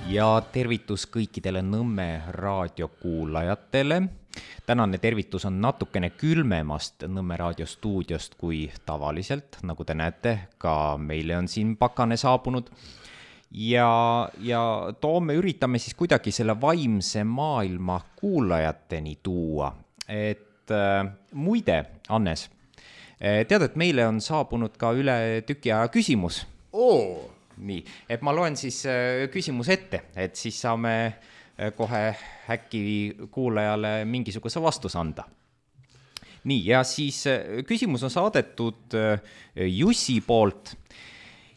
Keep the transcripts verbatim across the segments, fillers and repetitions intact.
Ja tervitus kõikidele Nõmme raadiokuulajatele. Tänane tervitus on natukene külmemast Nõmme raadiostuudiost kui tavaliselt. Nagu te näete, ka meile on siin pakane saabunud. Ja, ja toome üritame siis kuidagi selle vaimse maailma kuulajateni tuua. Et äh, muide, Hannes, tead, et meile on saabunud ka üle tüki aja küsimus. Oo! Nii, et ma loen siis küsimus ette, et siis saame kohe äkki kuulajale mingisuguse vastus anda. Nii, ja siis küsimus on saadetud Jussi poolt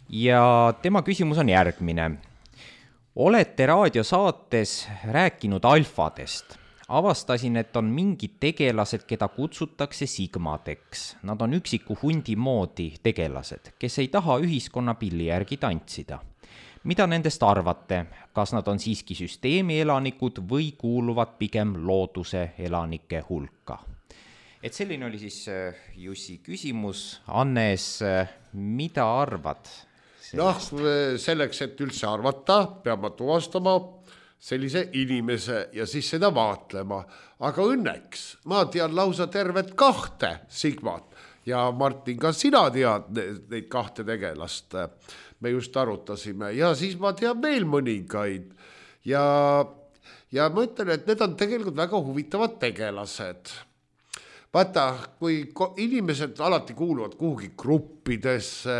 ja tema küsimus on järgmine. Olete raadiosaates rääkinud alfadest. Avastasin, et on mingid tegelased, keda kutsutakse sigmadeks. Nad on üksiku hundi moodi tegelased, kes ei taha ühiskonna pilli järgi tantsida. Mida nendest arvate? Kas nad on siiski süsteemi elanikud või kuuluvad pigem looduse elanike hulka? Et selline oli siis Jussi küsimus. Hannes, mida arvad? Noh, selleks, et üldse arvata, peab ma tuvastama sellise inimese ja siis seda vaatlema. Aga õnneks ma tean lausa tervet kahte sigmat ja Martin, ka sina tead neid kahte tegelast. Me just arutasime ja siis ma tean veel mõningaid ja, ja ma ütlen, et need on tegelikult väga huvitavad tegelased. Vaata, kui inimesed alati kuuluvad kuhugi gruppidesse,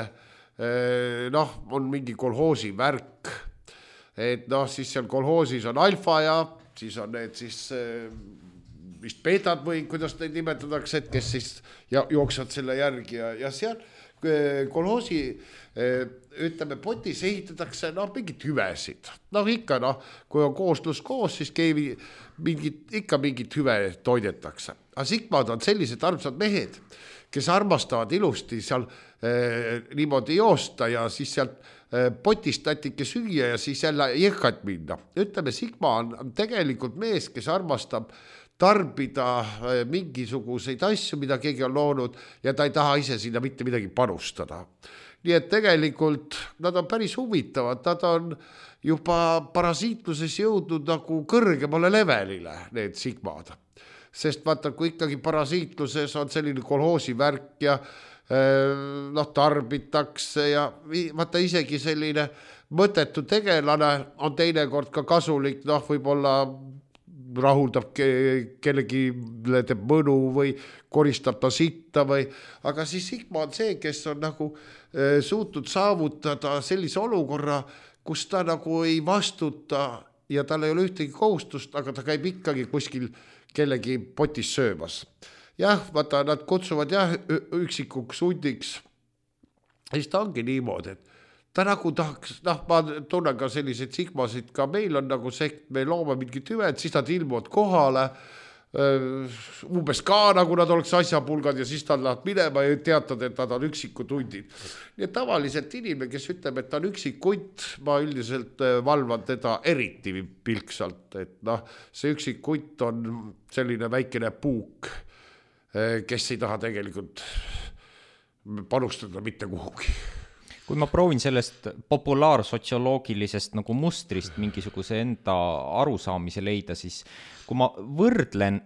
noh, on mingi kolhoosi värk, et noh, siis seal kolhoosis on alfa ja siis on need siis vist beetad või kuidas neid nimetatakse, et kes siis ja, jooksvad selle järgi ja, ja seal kolhoosi ütleme potis ehitatakse noh, mingid hüvesid. Noh ikka, noh, kui on kooslus koos, siis keevi mingid, ikka mingid hüve toidetakse. Aga sigmad on sellised armsad mehed, kes armastavad ilusti seal eh, niimoodi joosta ja siis sealt potist tatike süüa ja siis jälle jõhkat minna. Ütleme, sigma on, on tegelikult mees, kes armastab tarbida mingisuguseid asju, mida keegi on loonud ja ta ei taha ise sinna mitte midagi panustada. Nii et tegelikult nad on päris huvitavad, nad on juba parasiitluses jõudnud nagu kõrgemale levelile, need sigmad. Sest vaata, kui ikkagi parasiitluses on selline kolhoosi värk ja noh, tarbitakse ja vaata isegi selline mõttetu tegelane on teinekord ka kasulik, noh, võib-olla rahuldab ke- kellegi teeb mõnu või koristab ta sitta või, aga siis sigma on see, kes on nagu e, suutnud saavutada sellise olukorra, kus ta nagu ei vastuta ja tal ei ole ühtegi kohustust, aga ta käib ikkagi kuskil kellegi potis söömas. Jah, vaata, nad kutsuvad jah üksikuks hundiks. Ja siis ta ongi niimoodi, et ta nagu tahaks, noh, ma tunnen ka selliseid sigmasid, ka meil on nagu sekt, me loome mingit hüved, siis nad ilmuvad kohale, umbes ka nagu nad oleks asjapulgad ja siis nad lähevad minema ja teatad, et nad on üksikud hundid. Nii et tavaliselt inimene, kes ütleb, et ta on üksik hunt, ma üldiselt valvan teda eriti pilksalt, et noh, see üksik hunt on selline väikene puuk, kes ei taha tegelikult panustada mitte kuhugi. Kui ma proovin sellest populaarsotsioloogilisest nagu mustrist mingisuguse enda arusaamise leida, siis kui ma võrdlen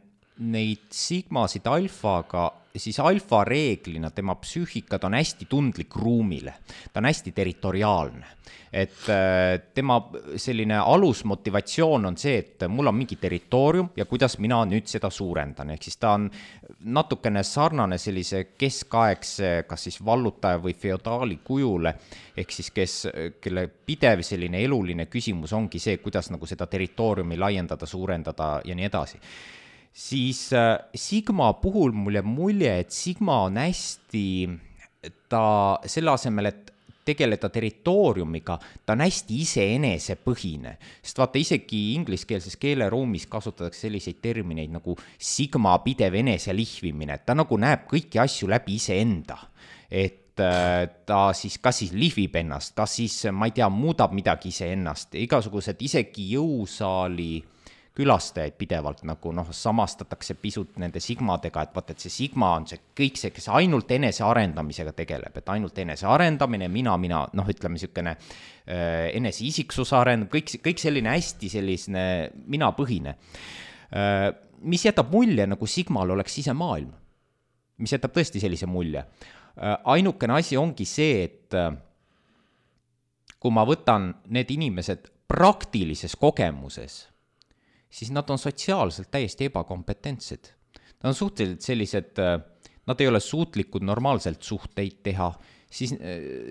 neid sigmasid alfaga, siis alfa reeglina tema psüühikad on hästi tundlik ruumile. Ta on hästi territoriaalne. Et tema selline alusmotivatsioon on see, et mul on mingi territoorium ja kuidas mina nüüd seda suurendan. Ehk siis ta on natukene sarnane sellise keskaegse, kas siis vallutaja või feodaali kujule, ehk siis kes, kelle pidev selline eluline küsimus ongi see, kuidas nagu seda territooriumi laiendada, suurendada ja nii edasi. Siis äh, Sigma puhul mulle mulje, et Sigma on hästi, ta selle asemel, et tegeleda territooriumiga, ta on hästi iseenese põhine. Sest vaata, isegi ingliskeelses keeleruumis kasutatakse selliseid termineid nagu Sigma pidev enese lihvimine. Ta nagu näeb kõiki asju läbi iseenda. Et äh, ta siis kas siis lihvib ennast, kas siis, ma ei tea, muudab midagi iseennast. Igasugused isegi jõusaali külastajaid pidevalt nagu noh, samastatakse pisut nende sigmadega, et vaata, et see sigma on see kõik see, kes ainult enese arendamisega tegeleb, et ainult enese arendamine, mina, mina, noh, ütleme niisugune äh, enese isiksuse arendab, kõik, kõik selline hästi selline minapõhine, äh, mis jätab mulje, nagu sigmal oleks sisemaailm, mis jätab tõesti sellise mulje. Äh, ainukene asi ongi see, et äh, kui ma võtan need inimesed praktilises kogemuses, siis nad on sotsiaalselt täiesti ebakompetentsed. Nad on suhteliselt sellised, nad ei ole suutlikud normaalselt suhteid teha, siis,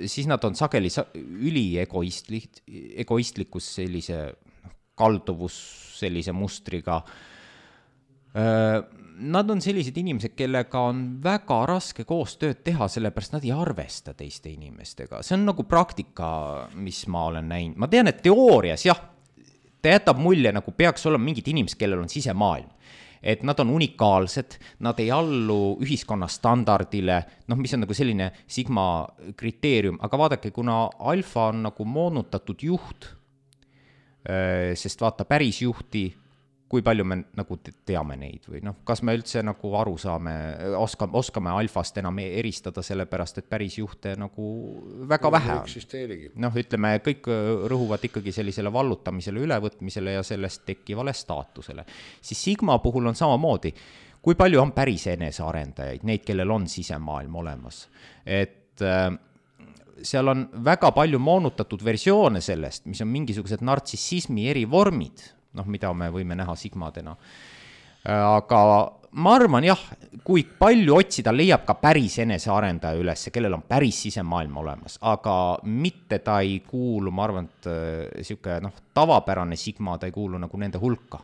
siis nad on sageli üli egoistlik, egoistlikus sellise kalduvus sellise mustriga. Nad on sellised inimesed, kellega on väga raske koostööd teha, sellepärast nad ei arvesta teiste inimestega. See on nagu praktika, mis ma olen näinud. Ma tean, et teoorias, jah, ta jätab mulje, nagu peaks olema mingid inimesed, kellel on sisemaailm. Et nad on unikaalsed, nad ei allu ühiskonna standardile, noh, mis on nagu selline sigma kriteerium, aga vaadake, kuna alfa on nagu moonutatud juht, sest vaata päris juhti, kui palju me nagu teame neid või noh, kas me üldse nagu aru saame, oskame, oskame alfast enam eristada sellepärast, et päris juhte nagu väga no, vähe on. Noh, ütleme, kõik rõhuvad ikkagi sellisele vallutamisele, ülevõtmisele ja sellest tekkivale staatusele. Siis sigma puhul on samamoodi, kui palju on päris enesearendajaid, neid, kellel on sisemaailm olemas. Et äh, seal on väga palju moonutatud versioone sellest, mis on mingisugused nartsissismi eri vormid, noh, mida me võime näha sigmadena. Aga ma arvan, jah, kui palju otsida, leiab ka päris enesearendaja üles, kellel on päris sisemaailm olemas, aga mitte ta ei kuulu, ma arvan, et siuke, noh, tavapärane sigma, ta ei kuulu nagu nende hulka.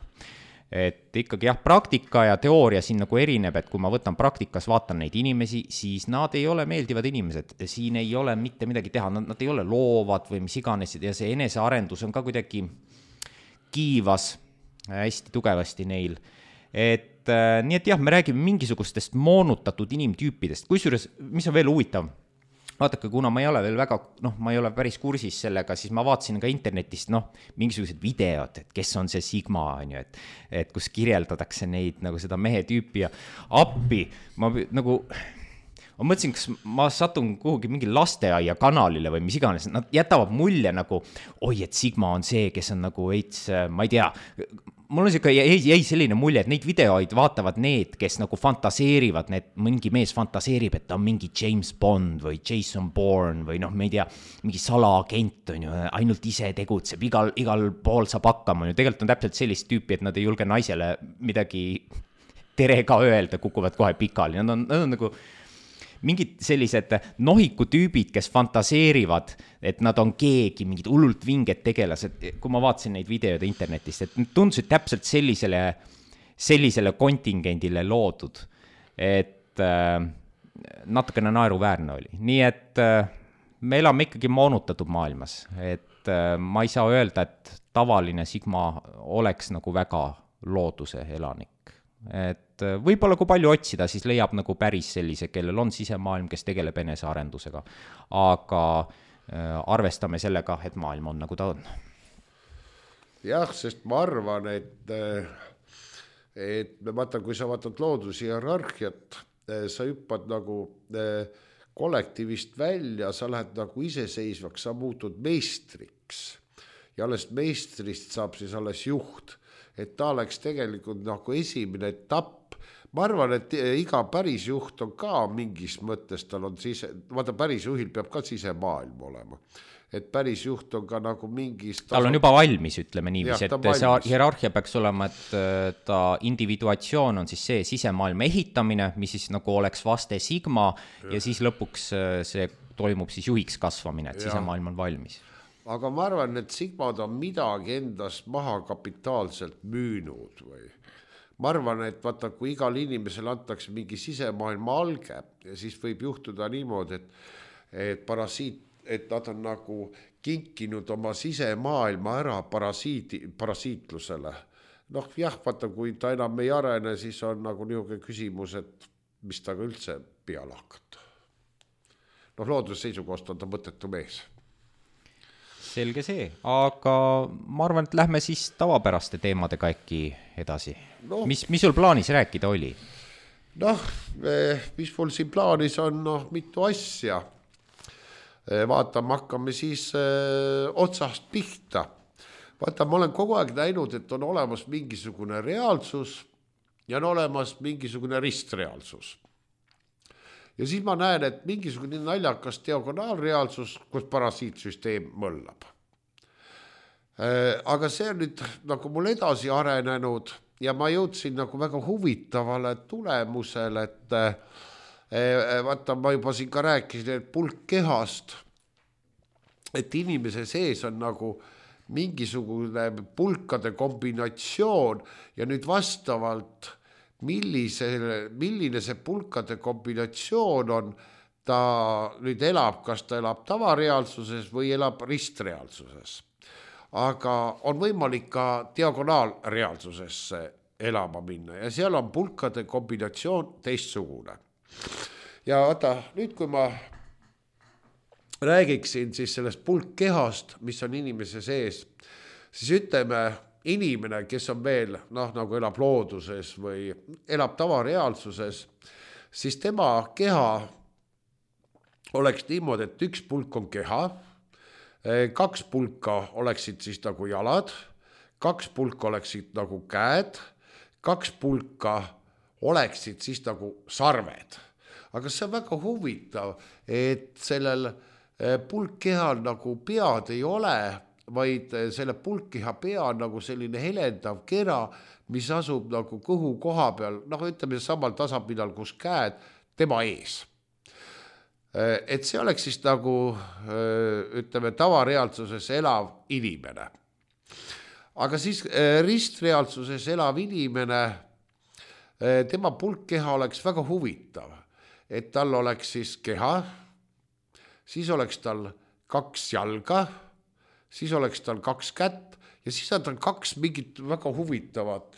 Et ikkagi jah, praktika ja teooria siin nagu erineb, et kui ma võtan praktikas, vaatan neid inimesi, siis nad ei ole meeldivad inimesed, siin ei ole mitte midagi teha, nad, nad ei ole loovad või mis iganes ja see enesearendus on ka kuidagi kiivas hästi tugevasti neil. Et äh, nii et jah, me räägime mingisugustest moonutatud inimtüüpidest. Kusjuures, mis on veel huvitav, vaadake, kuna ma ei ole veel väga, noh, ma ei ole päris kursis sellega, siis ma vaatasin ka internetist, noh, mingisugused videod, et kes on see sigma, on ju, et, et kus kirjeldatakse neid nagu seda mehe tüüpi ja appi, ma nagu... Ma mõtlesin, kas ma satun kuhugi mingi lasteaia kanalile või mis iganes, nad jätavad mulje nagu, oi, et sigma on see, kes on nagu veits, ma ei tea, mul on siuke, jäi, jäi selline mulje, et neid videoid vaatavad need, kes nagu fantaseerivad, need, mingi mees fantaseerib, et ta on mingi James Bond või Jason Bourne või noh, ma ei tea, mingi salaagent on ju, ainult ise tegutseb, igal, igal pool saab hakkama, tegelikult on täpselt sellist tüüpi, et nad ei julge naisele midagi tere ka öelda, kukuvad kohe pikali, nad on, nad on nagu mingid sellised nohikutüübid, kes fantaseerivad, et nad on keegi, mingid hullult vinged tegelased, kui ma vaatasin neid videoid internetist, et tundusid täpselt sellisele, sellisele kontingendile loodud, et äh, natukene naeruväärne oli. Nii et äh, me elame ikkagi moonutatud maailmas, et äh, ma ei saa öelda, et tavaline sigma oleks nagu väga looduse elanik. Et võib-olla kui palju otsida, siis leiab nagu päris sellise, kellel on sisemaailm, kes tegeleb enesearendusega. Aga äh, arvestame sellega, et maailm on nagu ta on. Jah, sest ma arvan, et, et vaata, kui sa vaatad loodushierarhiat, sa hüppad nagu kollektiivist välja, sa lähed nagu iseseisvaks, sa muutud meistriks. Ja alles meistrist saab siis alles juht. Et ta oleks tegelikult nagu esimene etapp. Ma arvan, et iga päris juht on ka mingis mõttes, tal on sise, vaata päris juhil peab ka sisemaailm olema. Et päris juht on ka nagu mingis... Tal on juba valmis, ütleme niivis, et valmis. See hierarhia peaks olema, et ta individuatsioon on siis see sisemaailma ehitamine, mis siis nagu oleks vaste sigma ja, ja siis lõpuks see toimub siis juhiks kasvamine, et ja. Sisemaailm on valmis. Aga ma arvan, et sigmad on midagi endast maha kapitaalselt müünud või ma arvan, et vaata, kui igal inimesel antakse mingi sisemaailma alge ja siis võib juhtuda niimoodi, et, et parasiit, et nad on nagu kinkinud oma sisemaailma ära parasiidi, parasiitlusele. Noh, jah, vaata, kui ta enam ei arene, siis on nagu niisugune küsimus, et mis ta üldse peale hakata. Noh, looduse seisukohast on ta mõttetu mees. selge see, aga ma arvan, et lähme siis tavapäraste teemadega äkki edasi no.. mis, mis sul plaanis rääkida oli? Noh, mis mul siin plaanis on, noh, mitu asja. Vaatame, hakkame siis öö, otsast pihta. Vaata, ma olen kogu aeg näinud, et on olemas mingisugune reaalsus ja on olemas mingisugune ristreaalsus. Ja siis ma näen, et mingisugune naljakas diagonaalreaalsus, kus parasiitsüsteem mõllab. Aga see on nüüd nagu mul edasi arenenud ja ma jõudsin nagu väga huvitavale tulemusele, et vaata, ma juba siin ka rääkisin, et pulk kehast, et inimese sees on nagu mingisugune pulkade kombinatsioon ja nüüd vastavalt millise, milline see pulkade kombinatsioon on, ta nüüd elab, kas ta elab tavareaalsuses või elab ristreaalsuses. Aga on võimalik ka diagonaalreaalsusesse elama minna ja seal on pulkade kombinatsioon teistsugune. Ja vaata, nüüd kui ma räägiksin siis sellest pulkkehast, mis on inimese sees, siis ütleme inimene, kes on veel, noh, nagu elab looduses või elab tavareaalsuses, siis tema keha oleks niimoodi, et üks pulk on keha, kaks pulka oleksid siis nagu jalad, kaks pulka oleksid nagu käed, kaks pulka oleksid siis nagu sarved. Aga see on väga huvitav, et sellel pulkkehal nagu pead ei ole, vaid selle pulkkeha pea on nagu selline helendav kera, mis asub nagu kõhu koha peal, noh, ütleme samal tasapinnal, kus käed tema ees. Et see oleks siis nagu, ütleme, tavareaalsuses elav inimene. Aga siis ristreaalsuses elav inimene, tema pulkkeha oleks väga huvitav, et tal oleks siis keha, siis oleks tal kaks jalga, siis oleks tal kaks kätt ja siis on tal kaks mingit väga huvitavat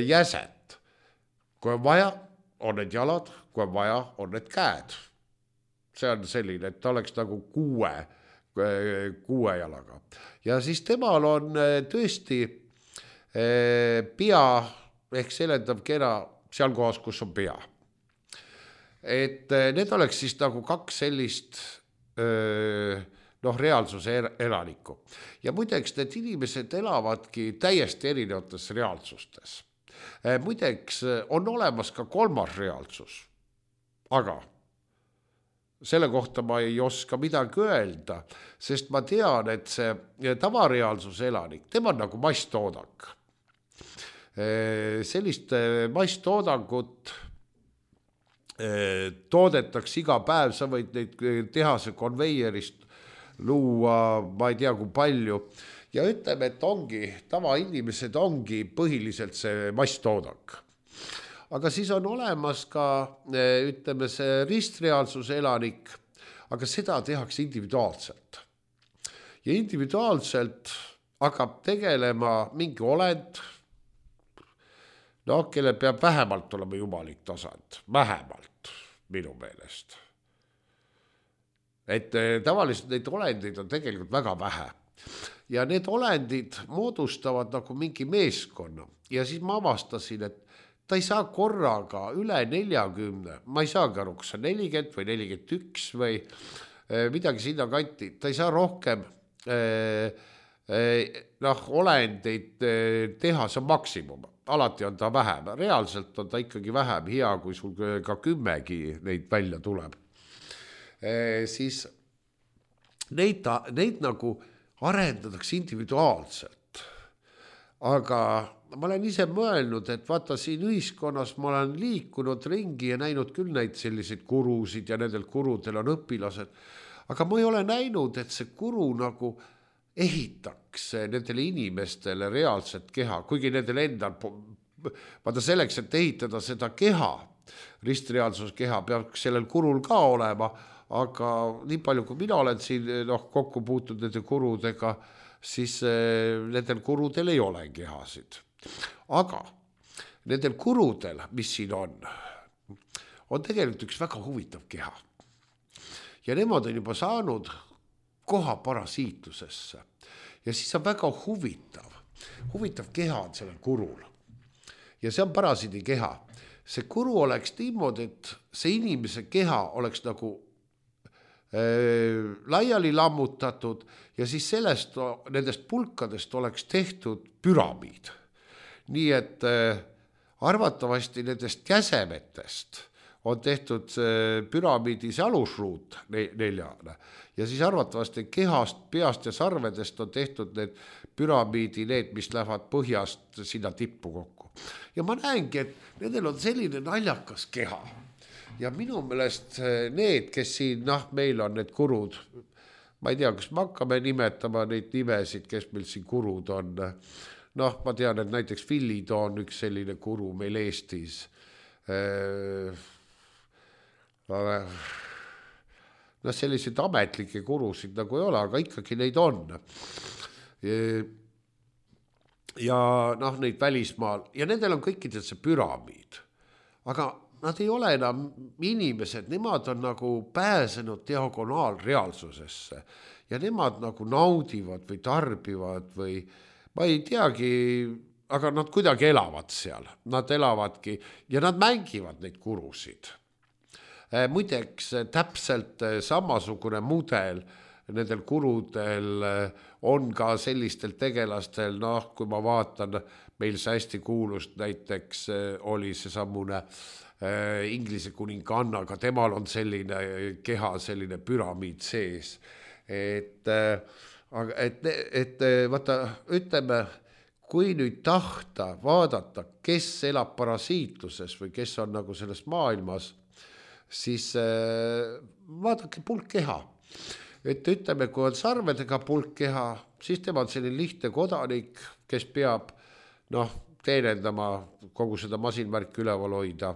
jäset. Kui on vaja, on need jalad, kui on vaja, on need käed. See on selline, et ta oleks nagu kuue, kuue jalaga. Ja siis temal on tõesti pea ehk selendav kera seal kohas, kus on pea. Et need oleks siis nagu kaks sellist noh, reaalsuse elanikku. Ja muideks need inimesed elavadki täiesti erinevates reaalsustes. Muideks on olemas ka kolmas reaalsus, aga selle kohta ma ei oska midagi öelda, sest ma tean, et see tavareaalsuse elanik, tema on nagu masstoodak. Sellist masstoodangut toodetakse iga päev, sa võid neid tehase konveierist luua, ma ei tea kui palju, ja ütleme, et ongi, tavainimesed ongi põhiliselt see masstoodak. Aga siis on olemas ka, ütleme, see ristreaalsuse elanik, aga seda tehakse individuaalselt. Ja individuaalselt hakkab tegelema mingi olend, no, kelle peab vähemalt olema jumalik tasand, vähemalt minu meelest. Et tavaliselt neid olendeid on tegelikult väga vähe. Ja need olendid moodustavad nagu mingi meeskonna. Ja siis ma avastasin, et ta ei saa korraga üle neljakümne, ma ei saagi aru, kas on nelikümmend või nelikümmend üks või midagi sinna kanti, ta ei saa rohkem noh, olendeid teha, see on maksimum, alati on ta vähem, reaalselt on ta ikkagi vähem, hea, kui sul ka kümmegi neid välja tuleb. Siis neid, neid nagu arendatakse individuaalselt, aga ma olen ise mõelnud, et vaata siin ühiskonnas ma olen liikunud ringi ja näinud küll neid selliseid kurusid ja nendel kurudel on õpilased, aga ma ei ole näinud, et see kuru nagu ehitaks nendele inimestele reaalset keha, kuigi nendel endal, vaata selleks, et ehitada seda keha, ristreaalsuskeha peaks sellel kurul ka olema, aga nii palju, kui mina olen siin noh, kokku puutud nende kurudega, siis nendel kurudel ei ole kehasid. Aga nendel kurudel, mis siin on, on tegelikult üks väga huvitav keha. Ja nemad on juba saanud koha parasiitlusesse. Ja siis on väga huvitav, huvitav keha on sellel kurul. Ja see on parasiidi keha. See kuru oleks niimoodi, et see inimese keha oleks nagu äh, laiali lammutatud ja siis sellest, nendest pulkadest oleks tehtud püramiid. Nii et äh, arvatavasti nendest käsemetest on tehtud püramiidis alusruut neljane ja siis arvatavasti kehast, peast ja sarvedest on tehtud need püramiidi, need, mis lähevad põhjast sinna tippu kokku. Ja ma näengi, et nendel on selline naljakas keha ja minu meelest need, kes siin, noh, meil on need kurud, ma ei tea, kas me hakkame nimetama neid nimesid, kes meil siin kurud on. Noh, ma tean, et näiteks Villid on üks selline kuru meil Eestis. No selliseid ametlikke kurusid nagu ei ole, aga ikkagi neid on. Ja noh, neid välismaal ja nendel on kõikidel see püramiid. Aga nad ei ole enam inimesed, nemad on nagu pääsenud diagonaalreaalsusesse ja nemad nagu naudivad või tarbivad või ma ei teagi, aga nad kuidagi elavad seal, nad elavadki ja nad mängivad neid kurusid. Muideks täpselt samasugune mudel nendel kurudel on ka sellistel tegelastel, noh, kui ma vaatan, meil see hästi kuulust näiteks oli see sammune äh, Inglise kuninganna, aga temal on selline keha, selline püramiid sees, et äh, Aga et, et vaata, ütleme, kui nüüd tahta vaadata, kes elab parasiitluses või kes on nagu selles maailmas, siis vaadake pulkkeha. Et ütleme, kui on sarvedega pulkkeha, siis tema on selline lihtne kodanik, kes peab noh, teenendama kogu seda masinvärki üleval hoida.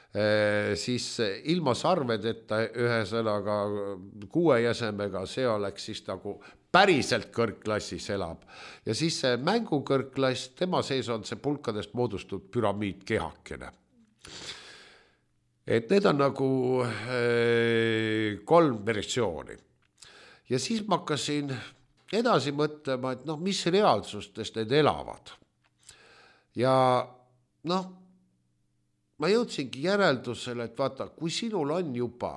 E, siis ilma sarvedeta ühe sõnaga kuue jäsemega, see oleks siis nagu päriselt kõrgklassis elab. Ja siis see mängukõrgklass, tema sees on see pulkadest moodustunud püramiid kehakene. Et need on nagu äh, kolm versiooni. Ja siis ma hakkasin edasi mõtlema, et noh, mis reaalsustes need elavad. Ja noh, ma jõudsingi järeldusele, et vaata, kui sinul on juba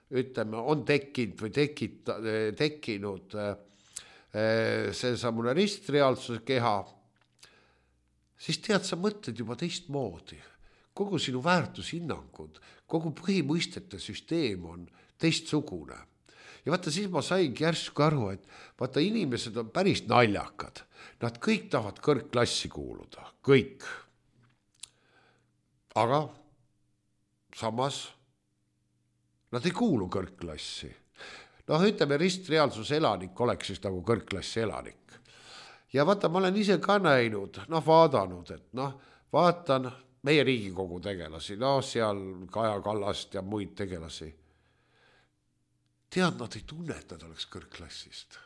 ütleme, on tekkinud või tekita, tekkinud see samune ristreaalsuse keha, siis tead, sa mõtled juba teist moodi. Kogu sinu väärtushinnangud, kogu põhimõistete süsteem on teistsugune. Ja vaata, siis ma saingi järsku aru, et vaata, inimesed on päris naljakad. Nad kõik tahavad kõrgklassi kuuluda, kõik. Aga samas nad ei kuulu kõrgklassi. Noh, ütleme, ristreaalsuse elanik oleks siis nagu kõrgklassi elanik. Ja vaata, ma olen ise ka näinud, noh, vaadanud, et noh, vaatan meie Riigikogu tegelasi, no seal Kaja Kallast ja muid tegelasi. Tead, nad ei tunne, et nad oleks kõrgklassist.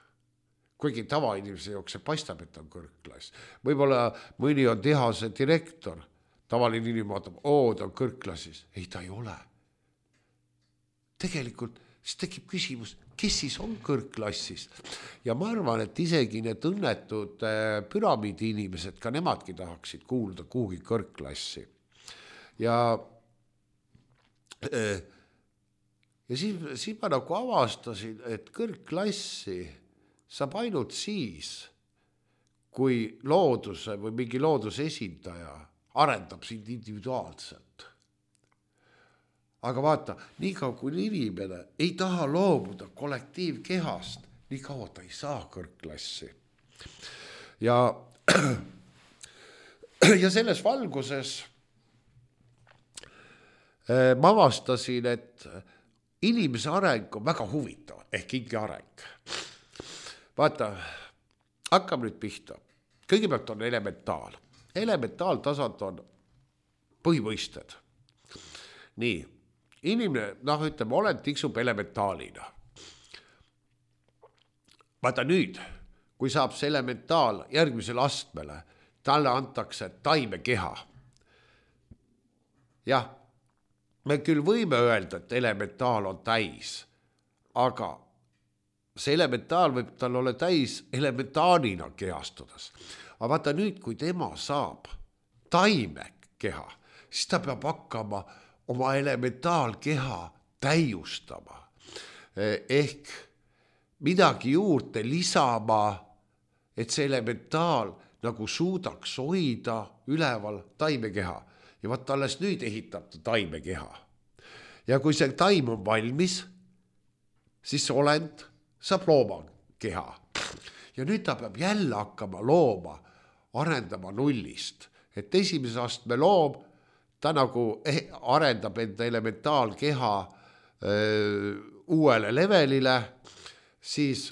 Kuigi tavainimese jaoks see paistab, et on kõrgklass. Võib-olla mõni on tehase direktor, tavaline inimene vaatab, oo, ta on kõrgklassis. Ei, ta ei ole. Tegelikult siis tekib küsimus, kes siis on kõrgklassis. Ja ma arvan, et isegi need õnnetud püramiidi inimesed, ka nemadki tahaksid kuuluda kuhugi kõrgklassi. Ja, ja siis, siis ma nagu avastasin, et kõrgklassi saab ainult siis, kui looduse või mingi looduse esindaja arendab sind individuaalselt. Aga vaata, nii kaua kui inimene ei taha loobuda kollektiivkehast, nii kaua ta ei saa kõrgklassi. Ja, ja selles valguses ma avastasin, et inimese areng on väga huvitav, ehk ingi areng. Vaata, hakkame nüüd pihta. Kõigepealt on elementaal. Elementaaltasand on põhimõisted. Nii. Inimene, noh, ütleme, olen tiksub elementaalina. Vaata nüüd, kui saab see elementaal järgmisele astmele, talle antakse taimekeha. Jah, me küll võime öelda, et elementaal on täis, aga see elementaal võib tal olla täis elementaanina kehastudas. Aga vaata nüüd, kui tema saab taime keha, siis ta peab hakkama oma elementaalkeha täiustama. Ehk midagi juurde lisama, et see elementaal nagu suudaks hoida üleval taimekeha. Ja vaata alles nüüd ehitab ta taimekeha. Ja kui see taim on valmis, siis see olend saab looma keha. Ja nüüd ta peab jälle hakkama looma, arendama nullist. Et esimese astme loom, ta nagu arendab enda elementaalkeha öö, uuele levelile, siis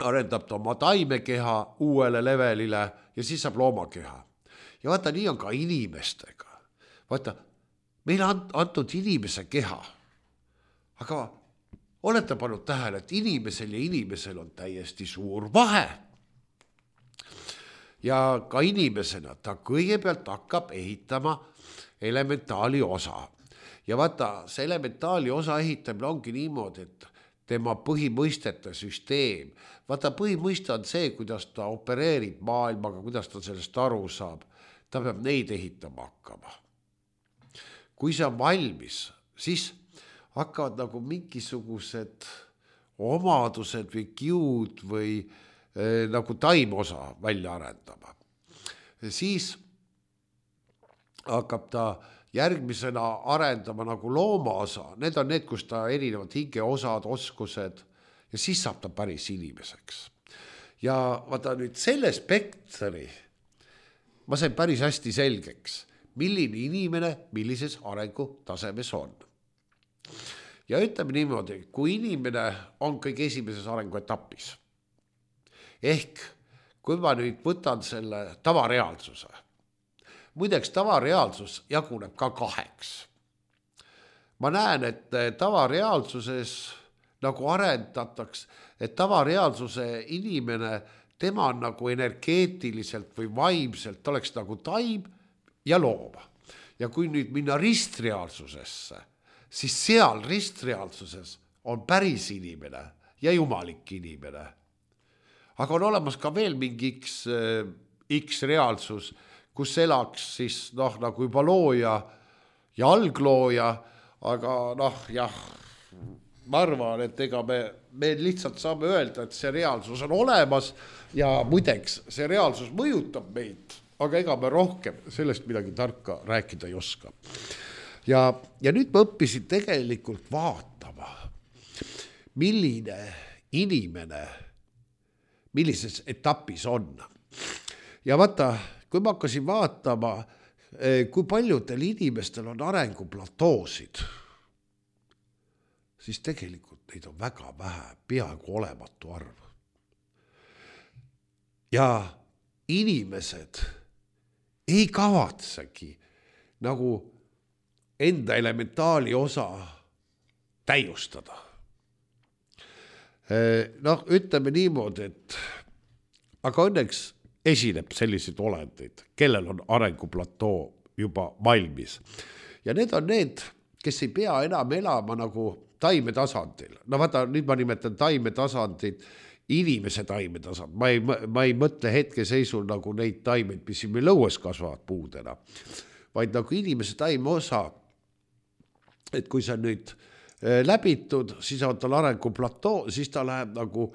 arendab ta oma taimekeha uuele levelile ja siis saab loomakeha. Ja vaata, nii on ka inimestega. Vaata, meil on antud inimese keha, aga olete pannud tähele, et inimesel ja inimesel on täiesti suur vahe. Ja ka inimesena ta kõigepealt hakkab ehitama elementaali osa. Ja vaata, see elementaali osa ehitamine ongi niimoodi, et tema põhimõistete süsteem. Vaata, põhimõiste on see, kuidas ta opereerib maailmaga, kuidas ta sellest aru saab. Ta peab neid ehitama hakkama. Kui see on valmis, siis hakkavad nagu mingisugused omadused või kiud või eh, nagu taimosa välja arendama. Siis hakkab ta järgmisena arendama nagu loomaosa. Need on need, kus ta erinevad hingeosad, oskused ja siis saab ta päris inimeseks. Ja vaata nüüd selle spektri ma sain päris hästi selgeks, milline inimene millises arengutasemes on. Ja ütleme niimoodi, kui inimene on kõige esimeses arenguetapis, ehk kui ma nüüd võtan selle tavareaalsuse, muideks tavareaalsus jaguneb ka kaheks. Ma näen, et tavareaalsuses nagu arendataks, et tavareaalsuse inimene tema on nagu energeetiliselt või vaimselt oleks nagu taim ja loom. Ja kui nüüd minna ristreaalsusesse, siis seal ristreaalsuses on päris inimene ja jumalik inimene. Aga on olemas ka veel mingi X, X reaalsus, kus elaks siis noh, nagu juba looja ja alglooja, aga noh, jah, ma arvan, et ega me, me lihtsalt saame öelda, et see reaalsus on olemas ja muideks see reaalsus mõjutab meid, aga ega me rohkem sellest midagi tarka rääkida ei oska. Ja, ja nüüd ma õppisin tegelikult vaatama, milline inimene millises etapis on. Ja vaata, kui ma hakkasin vaatama, kui paljudel inimestel on arenguplatoosid, siis tegelikult neid on väga vähe, peaaegu olematu arv. Ja inimesed ei kavatsegi nagu enda elementaali osa täiustada. Noh, ütleme niimoodi, et aga õnneks esineb selliseid olendeid, kellel on arenguplatoo juba valmis. Ja need on need, kes ei pea enam elama nagu taimetasandil. No vaata, nüüd ma nimetan taimetasandid, inimese taimetasand. Ma ei, ma ei mõtle hetkeseisul nagu neid taimeid, mis siin meil õues kasvavad puudena, vaid nagu inimese taime osa, et kui sa nüüd läbitud, siis on tal arenguplatoo, siis ta läheb nagu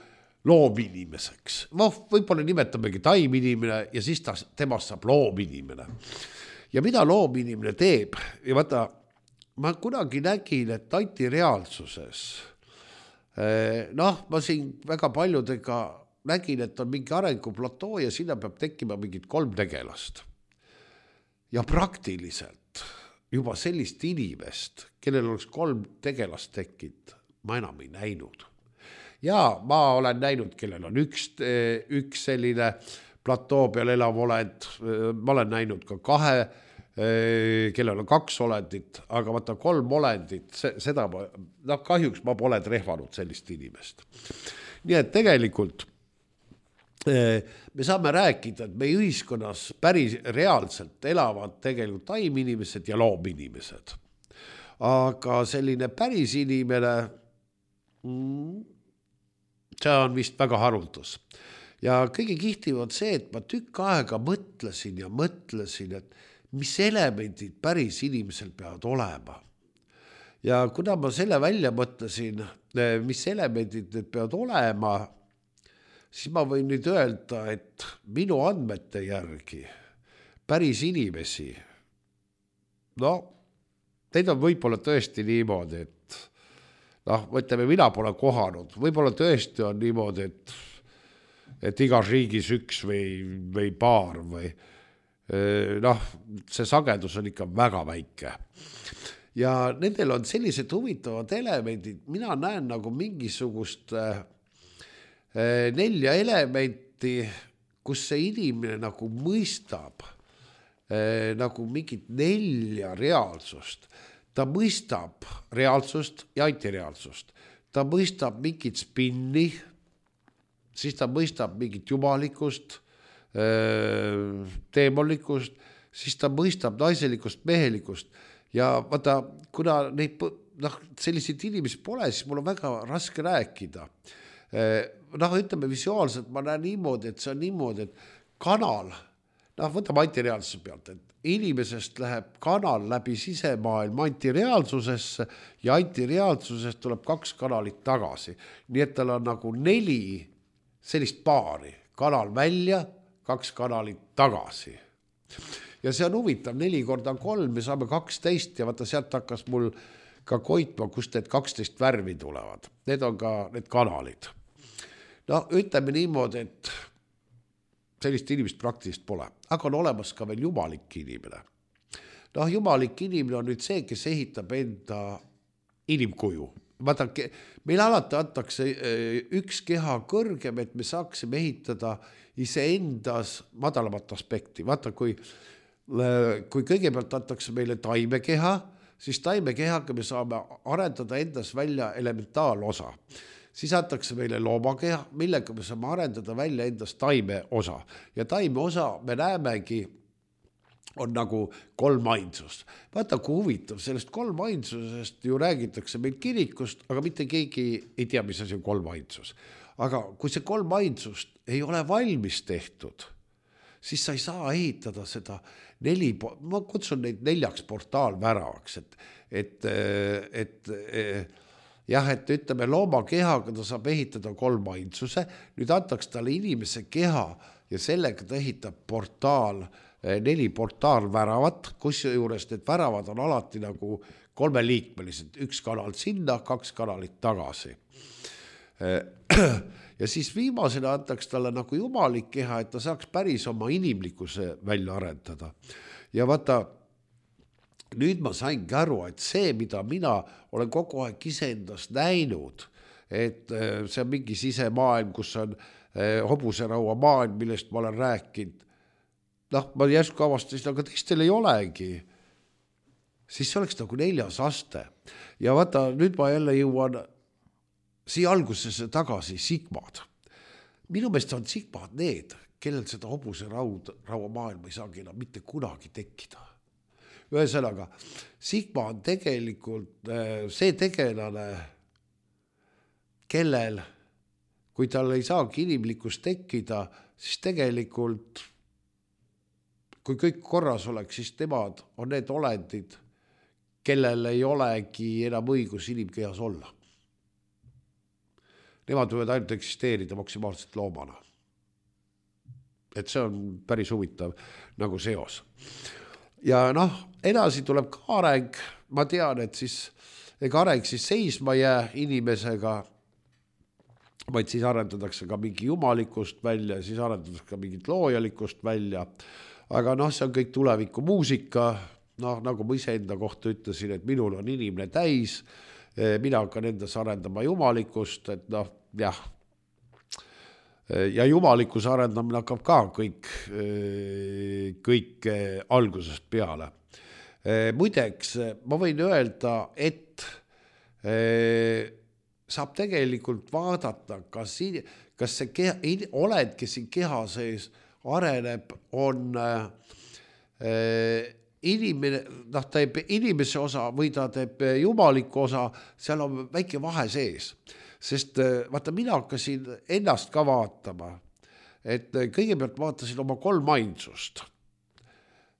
loominimeseks. No, võib-olla nimetamegi taiminimene ja siis ta, temast saab loominimene. Ja mida loominimene teeb? Ja vaata, ma kunagi nägin, et antireaalsuses, noh, ma siin väga paljudega nägin, et on mingi arenguplatoo ja sinna peab tekkima mingid kolm tegelast. Ja praktiliselt juba sellist inimest, kellel oleks kolm tegelast tekkinud, ma enam ei näinud. Ja ma olen näinud, kellel on üks, üks selline platoo peal elav olend, ma olen näinud ka kahe, kellel on kaks olendit, aga vaata kolm olendit, seda ma, no kahjuks ma pole trehvanud sellist inimest. Nii et tegelikult me saame rääkida, et meie ühiskonnas päris reaalselt elavad tegelikult taiminimesed ja loominimesed. Aga selline päris inimene, see on vist väga haruldus. Ja kõige kihtiv on see, et ma tükk aega mõtlesin ja mõtlesin, et mis elemendid päris inimesel peavad olema. Ja kuna ma selle välja mõtlesin, mis elemendid need peavad olema, siis ma võin nüüd öelda, et minu andmete järgi päris inimesi, no, neid on võib-olla tõesti niimoodi, et noh, mõtleme, mina pole kohanud, võib-olla tõesti on niimoodi, et, et igas riigis üks või, või paar või noh, see sagedus on ikka väga väike. Ja nendel on sellised huvitavad elemendid, mina näen nagu mingisugust nelja elementi, kus see inimene nagu mõistab nagu mingit nelja reaalsust. Ta mõistab reaalsust ja antireaalsust. Ta mõistab mingit spinni, siis ta mõistab mingit jumalikust, teemolikust, siis ta mõistab naiselikust, mehelikust. Ja vaata, kuna neid noh, selliseid inimesi pole, siis mul on väga raske rääkida. Noh, ütleme visuaalselt, ma näen niimoodi, et see on niimoodi, et kanal, noh, võtame antireaalsuse pealt, et inimesest läheb kanal läbi sisemaailma antireaalsusesse ja antireaalsusest tuleb kaks kanalit tagasi. Nii et tal on nagu neli sellist paari, kanal välja, kaks kanalit tagasi. Ja see on huvitav, neli korda kolm, me saame kaksteist ja vaata sealt hakkas mul ka koitma, kust need kaksteist värvi tulevad. Need on ka need kanalid. No ütleme niimoodi, et sellist inimest praktiliselt pole, aga on olemas ka veel jumalik inimene. Noh, jumalik inimene on nüüd see, kes ehitab enda inimkuju. Vaata, meil alati antakse üks keha kõrgem, et me saaksime ehitada iseendas madalamat aspekti. Vaata, kui, kui kõigepealt antakse meile taimekeha, siis taimekehaga me saame arendada endas välja elementaalosa. Siis antakse meile loomakeha, millega me saame arendada välja endas taime osa. Ja taime osa me näemegi on nagu kolm ainsust. Vaata, kui huvitav, sellest kolm ainsusest ju räägitakse meil kirikust, aga mitte keegi ei tea, mis asi on kolm ainsus. Aga kui see kolm ainsust ei ole valmis tehtud, siis sa ei saa ehitada seda neli, ma kutsun neid neljaks portaalväravaks, et, et, et, et jah, et ütleme looma kehaga ta saab ehitada kolm ainsuse, nüüd antaks talle inimese keha ja sellega ta ehitab portaal, neli portaalväravat, kus juures need väravad on alati nagu kolmeliikmelised, üks kanal sinna, kaks kanalit tagasi. Ja siis viimasena antaks talle nagu jumalik keha, et ta saaks päris oma inimlikkuse välja arendada. Ja vaata, nüüd ma saingi aru, et see, mida mina olen kogu aeg iseendast näinud, et see on mingi sisemaailm, kus on hobuseraua maailm, millest ma olen rääkinud, noh, ma järsku avastasin, aga teistel ei olegi. Siis see oleks nagu neljas aste. Ja vaata, nüüd ma jälle jõuan siia algusesse tagasi sigmad. Minu meelest on sigmad need, kellel seda hobuseraua maailma ei saagi enam mitte kunagi tekkida. Ühesõnaga, sigma on tegelikult see tegelane, kellel, kui tal ei saagi inimlikkust tekkida, siis tegelikult, kui kõik korras oleks, siis nemad on need olendid, kellel ei olegi enam õigus inimkehas olla. Nemad võivad ainult eksisteerida maksimaalselt loomana. Et see on päris huvitav nagu seos. Ja noh, edasi tuleb ka areng, ma tean, et siis ega areng siis seisma jää inimesega, vaid siis arendatakse ka mingi jumalikust välja, siis arendatakse ka mingit loojalikust välja, aga noh, see on kõik tuleviku muusika, noh, nagu ma ise enda kohta ütlesin, et minul on inimene täis, mina hakkan endas arendama jumalikust, et noh, jah, ja jumalikus arendamine hakkab ka kõik, kõik algusest peale. Muideks, ma võin öelda, et saab tegelikult vaadata, kas, kas see keha, oled, kes siin keha sees areneb, on inimene, noh, ta teeb inimese osa või ta teeb jumaliku osa, seal on väike vahe sees. sest vaata, mina hakkasin ennast ka vaatama, et kõigepealt vaatasin oma kolm ainsust.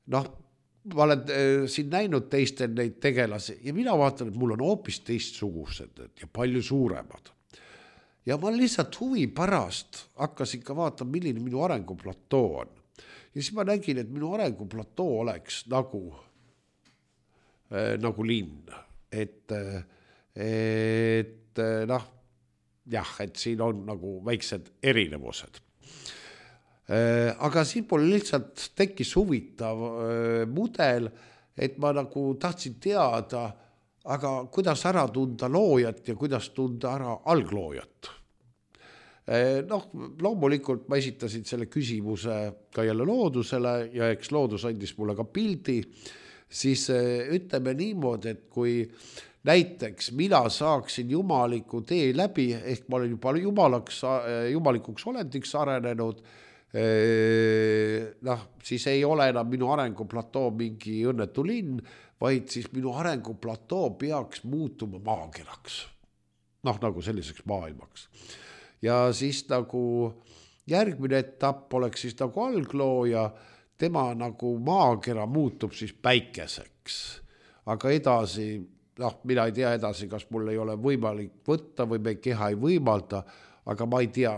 Noh, ma olen siin näinud teistel neid tegelasi ja mina vaatan, et mul on hoopis teistsugused ja palju suuremad. Ja ma lihtsalt huvi pärast hakkasin ka vaatama, milline minu arenguplatoo on. Ja siis ma nägin, et minu arenguplatoo oleks nagu, äh, nagu linn. Et, et noh, jah, et siin on nagu väiksed erinevused. Aga siin pole lihtsalt tekkis huvitav mudel, et ma nagu tahtsin teada, aga kuidas ära tunda loojat ja kuidas tunda ära algloojat. Noh, loomulikult ma esitasin selle küsimuse ka jälle loodusele ja eks loodus andis mulle ka pildi, siis ütleme niimoodi, et kui näiteks mina saaksin jumaliku tee läbi, ehk ma olen juba jumalaks, jumalikuks olendiks arenenud, noh, siis ei ole enam minu arenguplatoo mingi õnnetu linn, vaid siis minu arenguplatoo peaks muutuma maakeraks. Noh, nagu selliseks maailmaks. Ja siis nagu järgmine etapp oleks siis nagu alglooja, tema nagu maakera muutub siis päikeseks. Aga edasi, noh, mina ei tea edasi, kas mul ei ole võimalik võtta või me keha ei võimalda, aga ma ei tea,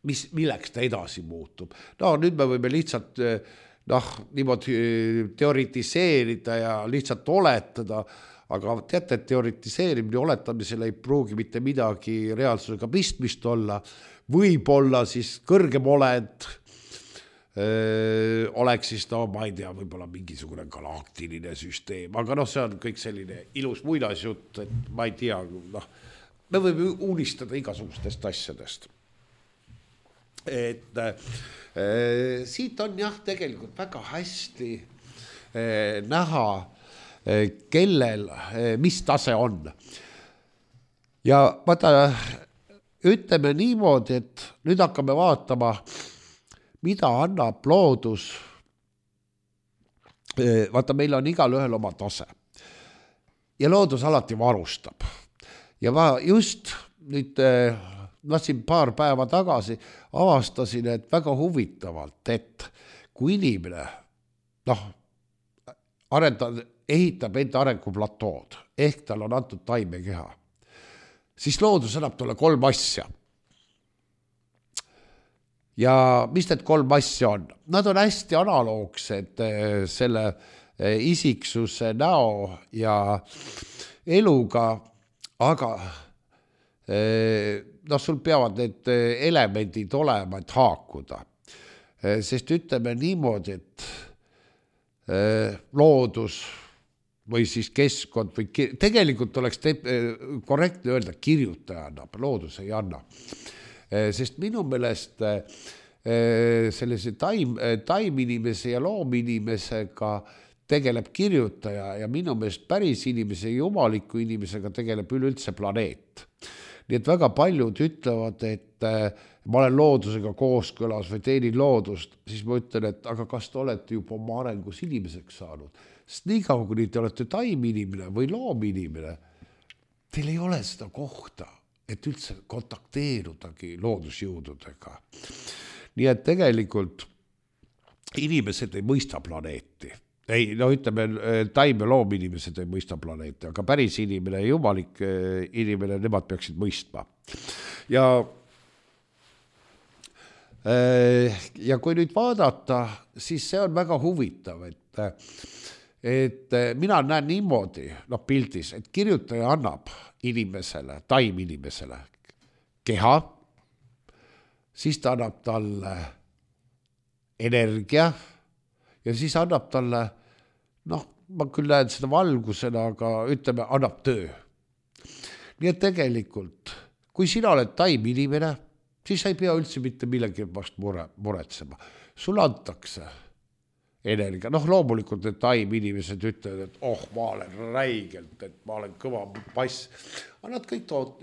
mis, milleks ta edasi muutub. No nüüd me võime lihtsalt noh, niimoodi teoritiseerida ja lihtsalt oletada, aga teate, et teoritiseerimine oletamisel ei pruugi mitte midagi reaalsusega pistmist olla. Võib-olla siis kõrgem olend öö, oleks siis, no ma ei tea, võib-olla mingisugune galaktiline süsteem, aga noh, see on kõik selline ilus muinasjutt, et ma ei tea, noh, me võime unistada igasugustest asjadest. Et äh, siit on jah tegelikult väga hästi äh, näha, äh, kellel, äh, mis tase on. Ja vaata, ütleme niimoodi, et nüüd hakkame vaatama, mida annab loodus. Äh, vaata, meil on igal ühel oma tase. Ja loodus alati varustab. Ja ma just nüüd... Äh, ma siin paar päeva tagasi avastasin, et väga huvitavalt, et kui inimene noh, arendab, ehitab enda arenguplatood, ehk tal on antud taimekeha, siis loodus annab talle kolm asja. Ja mis need kolm asja on? Nad on hästi analoogsed selle isiksuse näo ja eluga, aga noh, sul peavad need elemendid olema, et haakuda. Sest ütleme niimoodi, et loodus või siis keskkond või tegelikult oleks te korrektne öelda, kirjutaja annab, loodus ei anna. Sest minu meelest sellise taim, taiminimese ja loominimesega tegeleb kirjutaja ja minu meelest päris inimese ja jumaliku inimesega tegeleb üleüldse planeet. Nii et väga paljud ütlevad, et ma olen loodusega kooskõlas või teenin loodust, siis ma ütlen, et aga kas te olete juba oma arengus inimeseks saanud? Sest nii kaua, kui te olete taiminimene või loominimene, teil ei ole seda kohta, et üldse kontakteerudagi loodusjõududega. Nii et tegelikult inimesed ei mõista planeeti. Ei, no ütleme, taim ja loominimesed ei mõista planeeti, aga päris inimene ja jumalik inimene, nemad peaksid mõistma. Ja, ja kui nüüd vaadata, siis see on väga huvitav, et, et mina näen niimoodi, no pildis, et kirjutaja annab inimesele, taim inimesele keha, siis ta annab talle energia, ja siis annab talle, noh, ma küll näen seda valgusena, aga ütleme, annab töö. Nii et tegelikult, kui sina oled taiminimene, siis sa ei pea üldse mitte millegi vast mure, muretsema. Sul antakse energia. Noh, loomulikult need taiminimesed ütlevad, et oh, ma olen räigelt, et ma olen kõva pass. Aga nad kõik tood,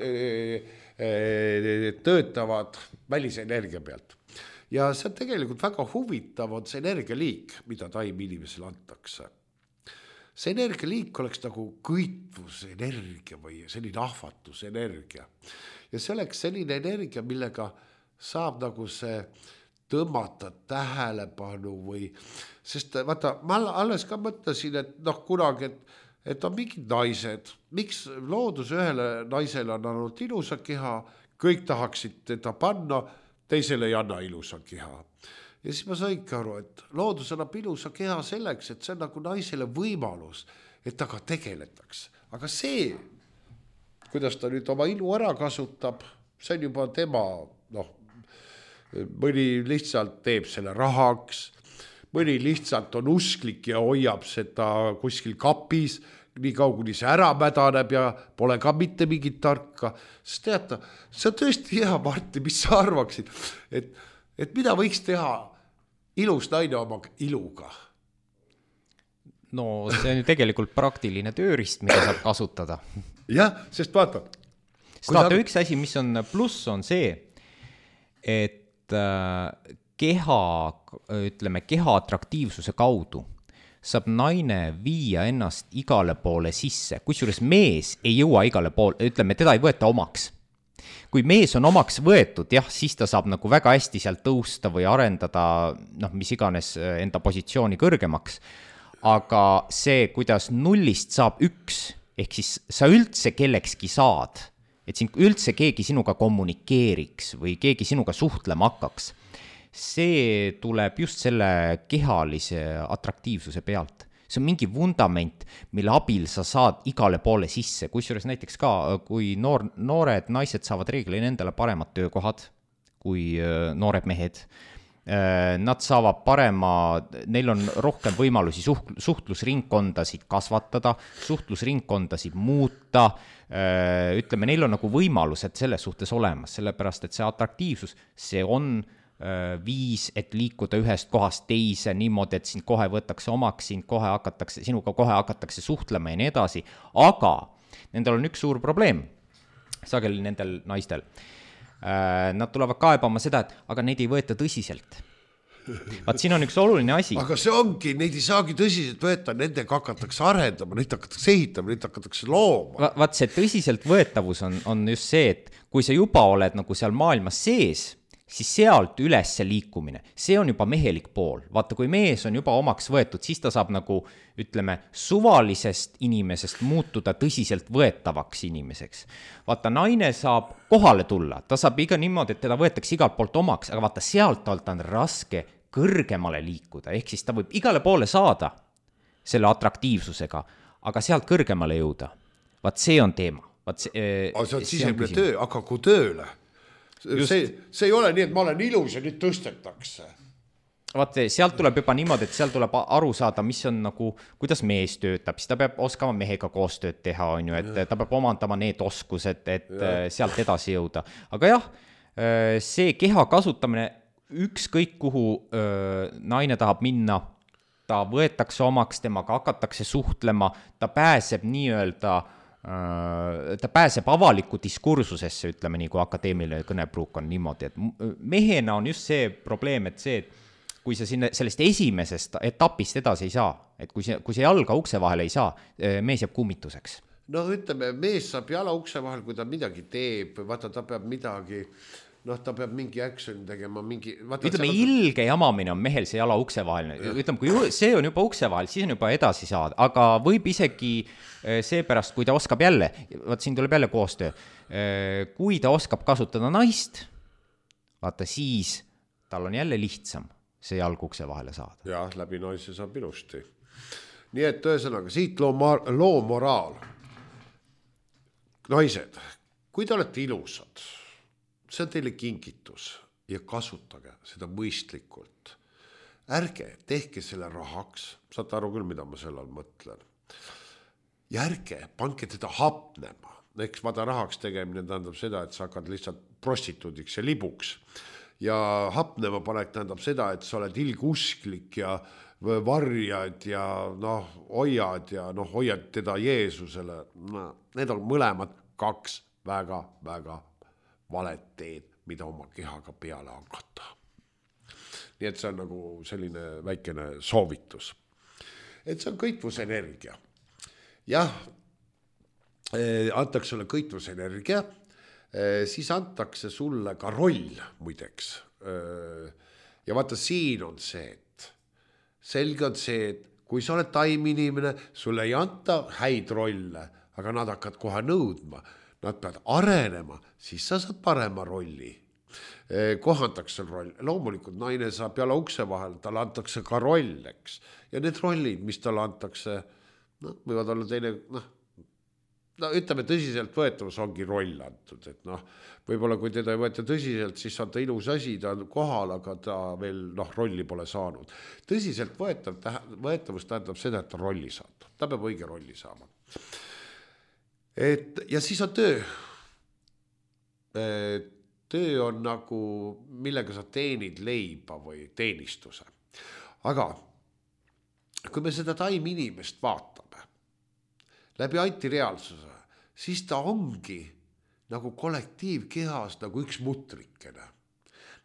töötavad välise energia pealt. Ja see on tegelikult väga huvitav on see energialiik, mida taim inimesele antakse. see energialiik oleks nagu kõitvusenergia või selline ahvatusenergia. Ja see oleks selline energia, millega saab nagu see tõmmata tähelepanu või, sest vaata, ma alles ka mõtlesin, et noh, kunagi, et, et on mingid naised, miks loodus ühele naisele on ainult ilusa keha, kõik tahaksid teda panna, teisele ei anna ilusa keha. Ja siis ma saingi aru, et loodus annab ilusa keha selleks, et see on nagu naisele võimalus, et ta ka tegeletakse. Aga see, kuidas ta nüüd oma ilu ära kasutab, see on juba tema, noh, mõni lihtsalt teeb selle rahaks, mõni lihtsalt on usklik ja hoiab seda kuskil kapis, nii kauguni see ära mädaneb ja pole ka mitte mingit tarka. Sest teata, see on tõesti hea, Martti, mis sa arvaksid, et, et mida võiks teha ilus naine oma iluga? No see on ju tegelikult praktiline tööriist, mida saab kasutada. Jah, sest vaata. Sest vaata, üks asi, mis on pluss, on see, et keha, ütleme, keha atraktiivsuse kaudu saab naine viia ennast igale poole sisse, kusjuures mees ei jõua igale poole, ütleme, teda ei võeta omaks. Kui mees on omaks võetud, jah, siis ta saab nagu väga hästi sealt tõusta või arendada, noh, mis iganes enda positsiooni kõrgemaks, aga see, kuidas nullist saab üks, ehk siis sa üldse kellekski saad, et siin üldse keegi sinuga kommunikeeriks või keegi sinuga suhtlema hakkaks, see tuleb just selle kehalise atraktiivsuse pealt. See on mingi vundament, mille abil sa saad igale poole sisse, kusjuures näiteks ka, kui noor, noored naised saavad reeglina endale paremad töökohad kui noored mehed, nad saavad parema, neil on rohkem võimalusi suht, suhtlusringkondasid kasvatada, suhtlusringkondasid muuta, ütleme, neil on nagu võimalused selles suhtes olemas, sellepärast, et see atraktiivsus, see on viis, et liikuda ühest kohast teise niimoodi, et sind kohe võtakse omaks, sind kohe hakatakse, sinuga kohe hakatakse suhtlema ja nii edasi, aga nendel on üks suur probleem, sageli nendel naistel. Nad tulevad kaebama seda, et aga neid ei võeta tõsiselt. Vaat siin on üks oluline asi. Aga see ongi, neid ei saagi tõsiselt võeta, nendega hakatakse arendama, neid hakatakse ehitama, neid hakatakse looma. Va, vaat see tõsiselt võetavus on, on just see, et kui sa juba oled nagu seal maailmas sees, siis sealt üles liikumine, see on juba mehelik pool. Vaata, kui mees on juba omaks võetud, siis ta saab nagu, ütleme, suvalisest inimesest muutuda tõsiselt võetavaks inimeseks. Vaata, naine saab kohale tulla, ta saab iga niimoodi, et teda võetakse igalt poolt omaks, aga vaata, sealt alt on raske kõrgemale liikuda, ehk siis ta võib igale poole saada selle atraktiivsusega, aga sealt kõrgemale jõuda. Vaat see on teema. Vaat see, aga see on sisemine töö, aga kui tööle? See, see ei ole nii, et ma olen ilus ja nüüd tõstetakse. Vaat sealt tuleb juba niimoodi, et sealt tuleb aru saada, mis on nagu, kuidas mees töötab, siis ta peab oskama mehega koostööd teha, on ju, et ja. Ta peab omandama need oskused, et ja. Sealt edasi jõuda. Aga jah, see keha kasutamine, ükskõik kuhu naine tahab minna, ta võetakse omaks, temaga hakatakse suhtlema, ta pääseb nii-öelda ta pääseb avaliku diskursusesse, ütleme nii, kui akadeemiline kõnepruuk on niimoodi, et mehena on just see probleem, et see, et kui sa sinne sellest esimesest etapist edasi ei saa, et kui see, kui see jalga ukse vahel ei saa, mees jääb kummituseks. No ütleme, mees saab jala ukse vahel, kui ta midagi teeb, vaata ta peab midagi, noh, ta peab mingi action tegema, mingi... Vaata, ütleme, ilge jamamine on mehel see jala ukse vahel. Ütleme, kui see on juba ukse vahel, siis on juba edasi saada. Aga võib isegi seepärast, kui ta oskab jälle, vaat siin tuleb jälle koostöö, kui ta oskab kasutada naist, vaata siis tal on jälle lihtsam see jalg ukse vahele saada. Jah, läbi naise saab ilusti. Nii et ühesõnaga, siit loo, loo moraal. Naised, kui te olete ilusad, see on teile kingitus ja kasutage seda mõistlikult. Ärge tehke selle rahaks, saate aru küll, mida ma sellal mõtlen. Ja ärge panke teda hapnema. Eks vada rahaks tegemine tähendab seda, et sa hakkad lihtsalt prostituudiks ja libuks. Ja hapnema panek tähendab seda, et sa oled ilgusklik ja varjad ja noh, hoiad ja noh, hoiad teda Jeesusele. No, need on mõlemad kaks väga, väga valet teed, mida oma kehaga peale hakata. Nii et see on nagu selline väikene soovitus. et see on kõitvusenergia. Jah, antakse sulle kõitvusenergia, siis antakse sulle ka roll muideks. Ja vaata, siin on see, et selge on see, et kui sa oled taiminimene, sulle ei anta häid rolle, aga nad hakkad kohe nõudma, nad peavad arenema, siis sa saad parema rolli. Kohantakse roll, loomulikult naine saab peale ukse vahel, talle antakse ka roll, eks. Ja need rollid, mis talle antakse, no, võivad olla teine, noh, no ütleme tõsiselt võetavus ongi roll antud, et noh, võib-olla kui teda ei võeta tõsiselt, siis on ta ilus asi, ta on kohal, aga ta veel noh, rolli pole saanud. Tõsiselt võetav, võetavus tähendab seda, et ta rolli saab, ta peab õige rolli saama. Et, ja siis on töö. Et, töö on nagu, millega sa teenid leiba või teenistuse. Aga kui me seda taim inimest vaatame läbi antireaalsuse, siis ta ongi nagu kollektiivkehas nagu üks mutrikene.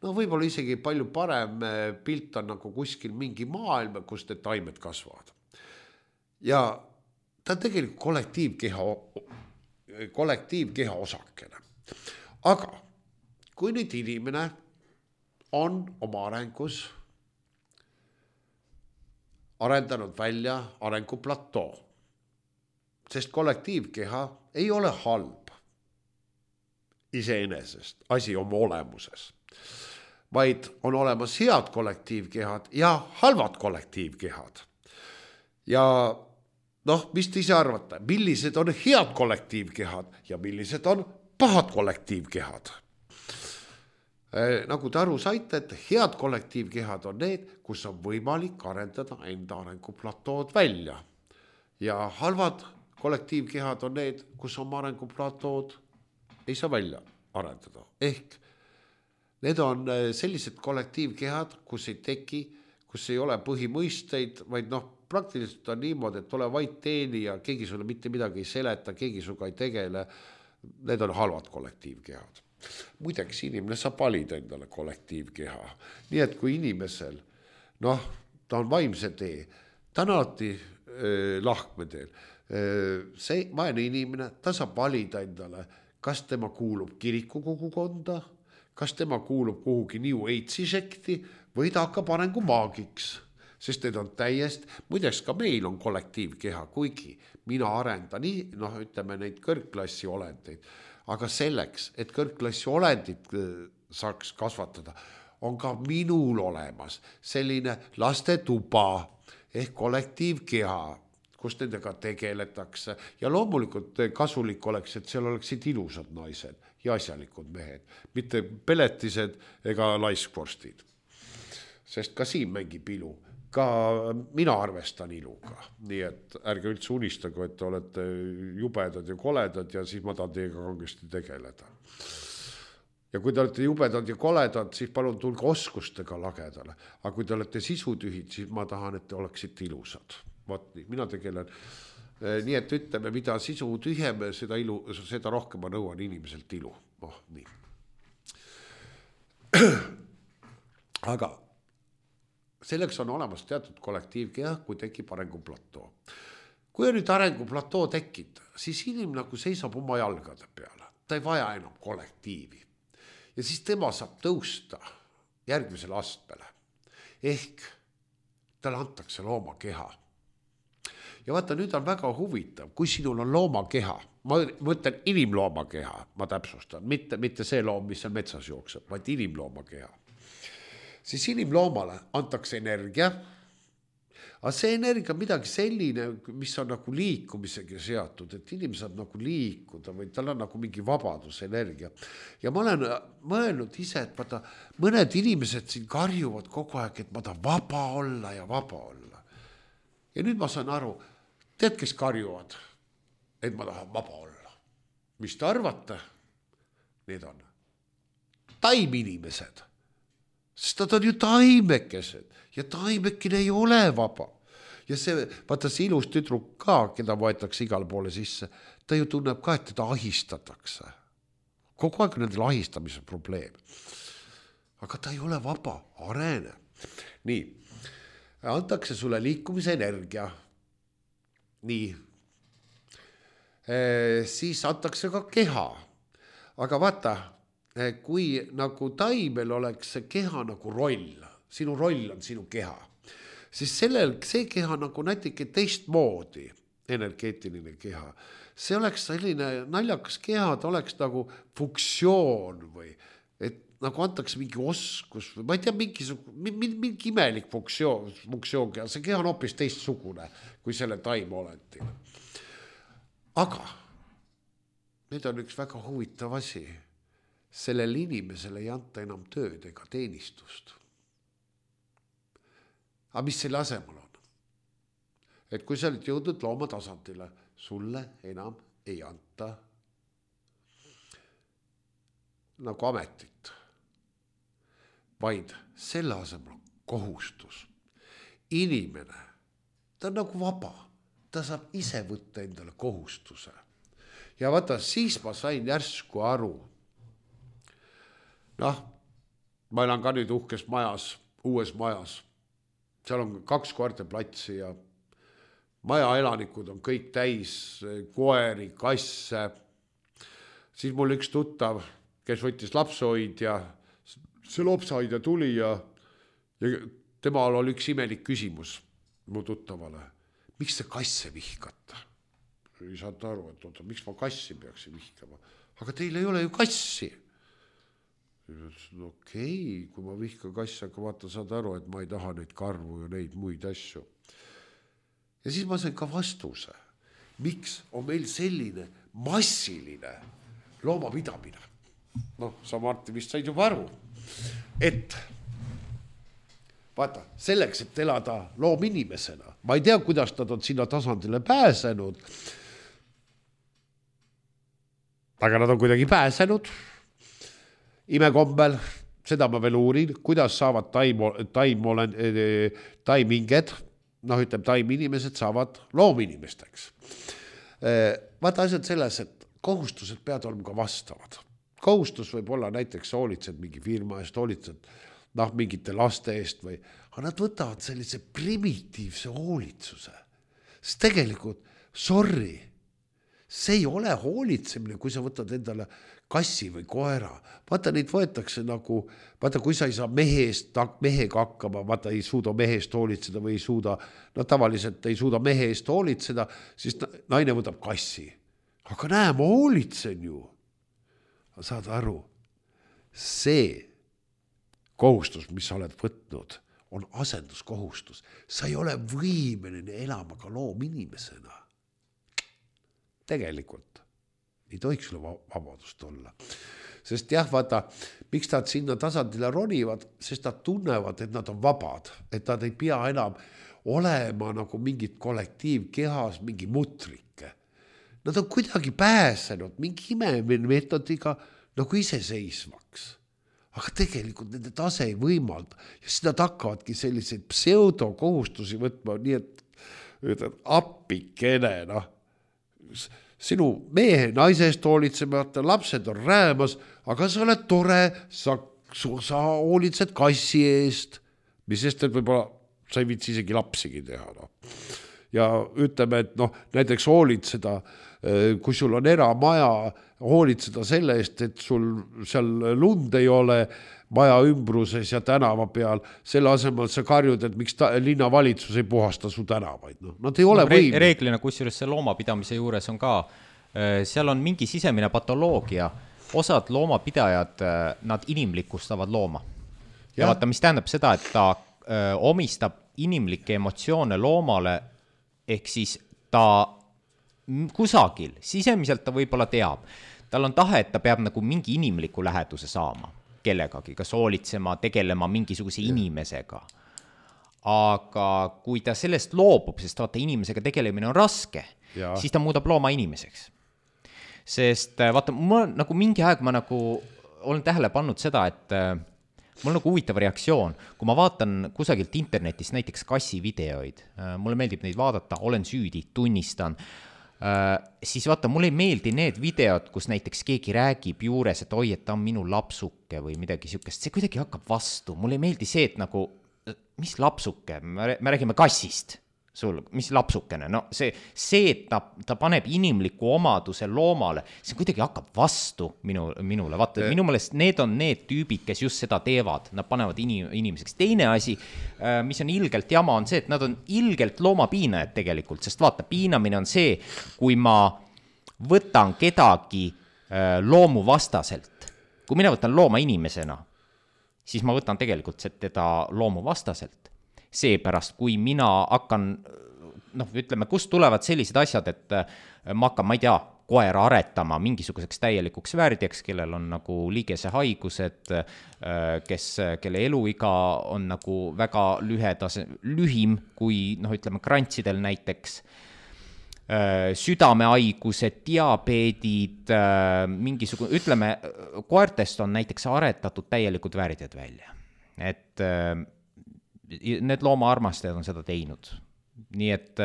No võib-olla isegi palju parem pilt on nagu kuskil mingi maailm, kus need taimed kasvavad. Ja ta on tegelikult kollektiivkeha, kollektiivkeha osakene. Aga kui nüüd inimene on oma arengus arendanud välja arenguplatoo, sest kollektiivkeha ei ole halb iseenesest, asi oma olemuses, vaid on olemas head kollektiivkehad ja halvad kollektiivkehad. Ja noh, mis te ise arvate, millised on head kollektiivkehad ja millised on pahad kollektiivkehad? Nagu te aru saite, et head kollektiivkehad on need, kus on võimalik arendada enda arenguplatood välja. Ja halvad kollektiivkehad on need, kus on arenguplatood ei saa välja arendada. Ehk need on sellised kollektiivkehad, kus ei teki, kus ei ole põhimõisteid, vaid noh, praktiliselt on niimoodi, et ole vaid teeni ja keegi sulle mitte midagi ei seleta, keegi suga ei tegele. Need on halvad kollektiivkehad. Muideks inimene saab valida endale kollektiivkeha. Nii et kui inimesel, noh, ta on vaimse tee, ta on alati äh, lahkmedel. Äh, see vaene inimene, ta saab valida endale, kas tema kuulub kirikukogukonda, kas tema kuulub kuhugi New Age'i sekti või ta hakkab arengu maagiks. Sest need on täiesti, muideks ka meil on kollektiivkeha, kuigi mina arendan nii, noh, ütleme neid kõrgklassi olendeid, aga selleks, et kõrgklassi olendid saaks kasvatada, on ka minul olemas selline lastetuba ehk kollektiivkeha, kus nendega tegeletakse. Ja loomulikult kasulik oleks, et seal oleksid ilusad naised ja asjalikud mehed, mitte peletised ega laiskvorstid. Sest ka siin mängib ilu. Ka mina arvestan iluga, nii et ärge üldse unistagu, et te olete jubedad ja koledad ja siis ma tahan teiega kangesti tegeleda. Ja kui te olete jubedad ja koledad, siis palun tulge oskustega lagedale. Aga kui te olete sisutühid, siis ma tahan, et te oleksite ilusad. Vaat nii, mina tegelen. Nii et ütleme, mida sisu tühjem, seda, ilu, seda rohkem ma nõuan inimeselt ilu. Oh, nii. Aga selleks on olemas teatud kollektiivkeha, kui tekib arenguplatoo. Kui on nüüd arenguplatoo tekib, siis inimene nagu seisab oma jalgade peale. Ta ei vaja enam kollektiivi. Ja siis tema saab tõusta järgmisele astmele. Ehk talle antakse loomakeha. Ja vaata, nüüd on väga huvitav, kui sinul on loomakeha, ma mõtlen inimloomakeha, ma täpsustan, mitte, mitte see loom, mis on metsas jookseb, vaid inimloomakeha. Siis inimloomale antakse energia, aga see energia on midagi selline, mis on nagu liikumisega seatud, et inimene saab nagu liikuda või tal on nagu mingi vabadusenergia. Ja ma olen mõelnud ise, et vaata, mõned inimesed siin karjuvad kogu aeg, et ma tahan vaba olla ja vaba olla. Ja nüüd ma saan aru, tead, kes karjuvad, et ma tahan vaba olla. Mis te arvate? Need on taiminimesed. Sest nad on ju taimekesed ja taimekene ei ole vaba. Ja see, vaata see ilus tüdruk ka, keda võetakse igale poole sisse, ta ju tunneb ka, et teda ahistatakse. Kogu aeg on nendel ahistamise probleem. Aga ta ei ole vaba, arene. Nii, antakse sulle liikumise energia, nii, siis antakse ka keha. Aga vaata, kui nagu taimel oleks see keha nagu roll, sinu roll on sinu keha, siis sellel, see keha nagu natuke teistmoodi, energeetiline keha, see oleks selline naljakas keha, ta oleks nagu funktsioon või et nagu antakse mingi oskus või ma ei tea, mingi, mingi, mingi imelik funktsioon, funktsioon keha, see keha on hoopis teistsugune kui selle taimolendil. Aga nüüd on üks väga huvitav asi. Sellel inimesele ei anta enam tööd ega teenistust. Aga mis selle asemel on? Et kui sa oled jõudnud looma tasandile, sulle enam ei anta nagu ametit, vaid selle asemel kohustus. Inimene, ta on nagu vaba, ta saab ise võtta endale kohustuse. Ja vaata, siis ma sain järsku aru. Noh, ma elan ka nüüd uhkes majas, uues majas. Seal on kaks koerteplatsi ja maja elanikud on kõik täis koeri, kasse. Siis mul üks tuttav, kes võttis lapsehoidja, see lapsehoidja tuli ja, ja temal oli üks imelik küsimus mu tuttavale. Miks te kasse vihkate? Ei saad aru, et oota, miks ma kassi peaksin vihkama? Aga teil ei ole ju kassi. Okei, okay, kui ma vihkan kassi, aga vaata, saad aru, et ma ei taha neid karvu ja neid muid asju. Ja siis ma sain ka vastuse. Miks on meil selline massiline loomapidamine? Noh, sa Martti vist said juba aru, et vaata, selleks, et elada loominimesena, ma ei tea, kuidas nad on sinna tasandile pääsenud, aga nad on kuidagi pääsenud imekombel, seda ma veel uurin, kuidas saavad taimo, taimo, taiminged, noh ütleb, taiminimesed saavad loominimesteks. Vaata asjad selles, et kohustused peavad olema ka vastavad. Kohustus võib olla näiteks hoolitsed mingi firma eest, hoolitsed noh, mingite laste eest või, aga nad võtavad sellise primitiivse hoolitsuse. Sest tegelikult, sorry, see ei ole hoolitsemine, kui sa võtad endale kassi või koera. Vaata, neid võetakse nagu, vaata, kui sa ei saa mehest, mehega hakkama, vaata, ei suuda mehest hoolitseda või ei suuda, no tavaliselt ei suuda mehe eest hoolitseda, siis naine võtab kassi. Aga näe, ma hoolitsen ju. Saad aru, see kohustus, mis sa oled võtnud, on asenduskohustus. Sa ei ole võimeline elama ka loominimesena. Tegelikult ei tohiks sulle vabadust olla. Sest jah, vaata, miks nad sinna tasandile ronivad, sest nad tunnevad, et nad on vabad, et nad ei pea enam olema nagu mingid kollektiivkehas, mingi mutrike. Nad on kuidagi pääsenud mingi imemeetodiga nagu iseseisvaks. Aga tegelikult nende tase ei võimalda. Ja siis nad hakkavadki selliseid pseudokohustusi võtma, nii et, et appikene, noh. Sinu mehe naisest hoolitsemata, lapsed on räämas, aga sa oled tore, sa, sa hoolitsed kassi eest, mis sest, et võib-olla sa ei viitsi isegi lapsigi teha. No. Ja ütleme, et noh, näiteks hoolitseda, kui sul on eramaja, hoolitseda selle eest, et sul seal lund ei ole maja ümbruses ja tänava peal, selle asemel sa karjud, et miks ta, linnavalitsus ei puhasta su tänavaid. No, nad ei ole no, võim. Reeglina, kusjuures see loomapidamise juures on ka, seal on mingi sisemine patoloogia, osad loomapidajad, nad inimlikustavad looma. Ja, ja vaata, mis tähendab seda, et ta öö, omistab inimlikke emotsioone loomale, ehk siis ta kusagil, sisemiselt ta võib-olla teab, tal on tahe, et ta peab nagu mingi inimliku läheduse saama kellegagi, kas hoolitsema, tegelema mingisuguse inimesega. Aga kui ta sellest loobub, sest vaata inimesega tegelemine on raske, ja. Siis ta muudab looma inimeseks. Sest vaata, mul nagu mingi aeg ma nagu olen tähele pannud seda, et mul on nagu huvitav reaktsioon, kui ma vaatan kusagilt internetist näiteks kassivideoid, mulle meeldib neid vaadata, olen süüdi, tunnistan, Uh, siis vaata, mulle ei meeldi need videod, kus näiteks keegi räägib juures, et oi, et ta on minu lapsuke või midagi siukest, see kuidagi hakkab vastu, mulle ei meeldi see, et nagu, mis lapsuke, me räägime kassist, sul, mis lapsukene, no see, see, et ta, ta paneb inimliku omaduse loomale, see kuidagi hakkab vastu minu, minule, vaata, minu meelest need on need tüübid, kes just seda teevad, nad panevad inim, inimeseks. Teine asi, mis on ilgelt jama, on see, et nad on ilgelt loomapiinajad tegelikult, sest vaata, piinamine on see, kui ma võtan kedagi loomu vastaselt, kui mina võtan looma inimesena, siis ma võtan tegelikult teda loomu vastaselt. Seepärast, kui mina hakkan, noh, ütleme, kust tulevad sellised asjad, et ma hakkan, ma ei tea, koera aretama mingisuguseks täielikuks värdjaks, kellel on nagu liigese haigused, kes, kelle eluiga on nagu väga lühedas, lühim kui, noh, ütleme, krantsidel näiteks, südamehaigused, diabeedid, mingisugune, ütleme, koertest on näiteks aretatud täielikud värdjad välja. Et need loomaarmastajad on seda teinud. Nii et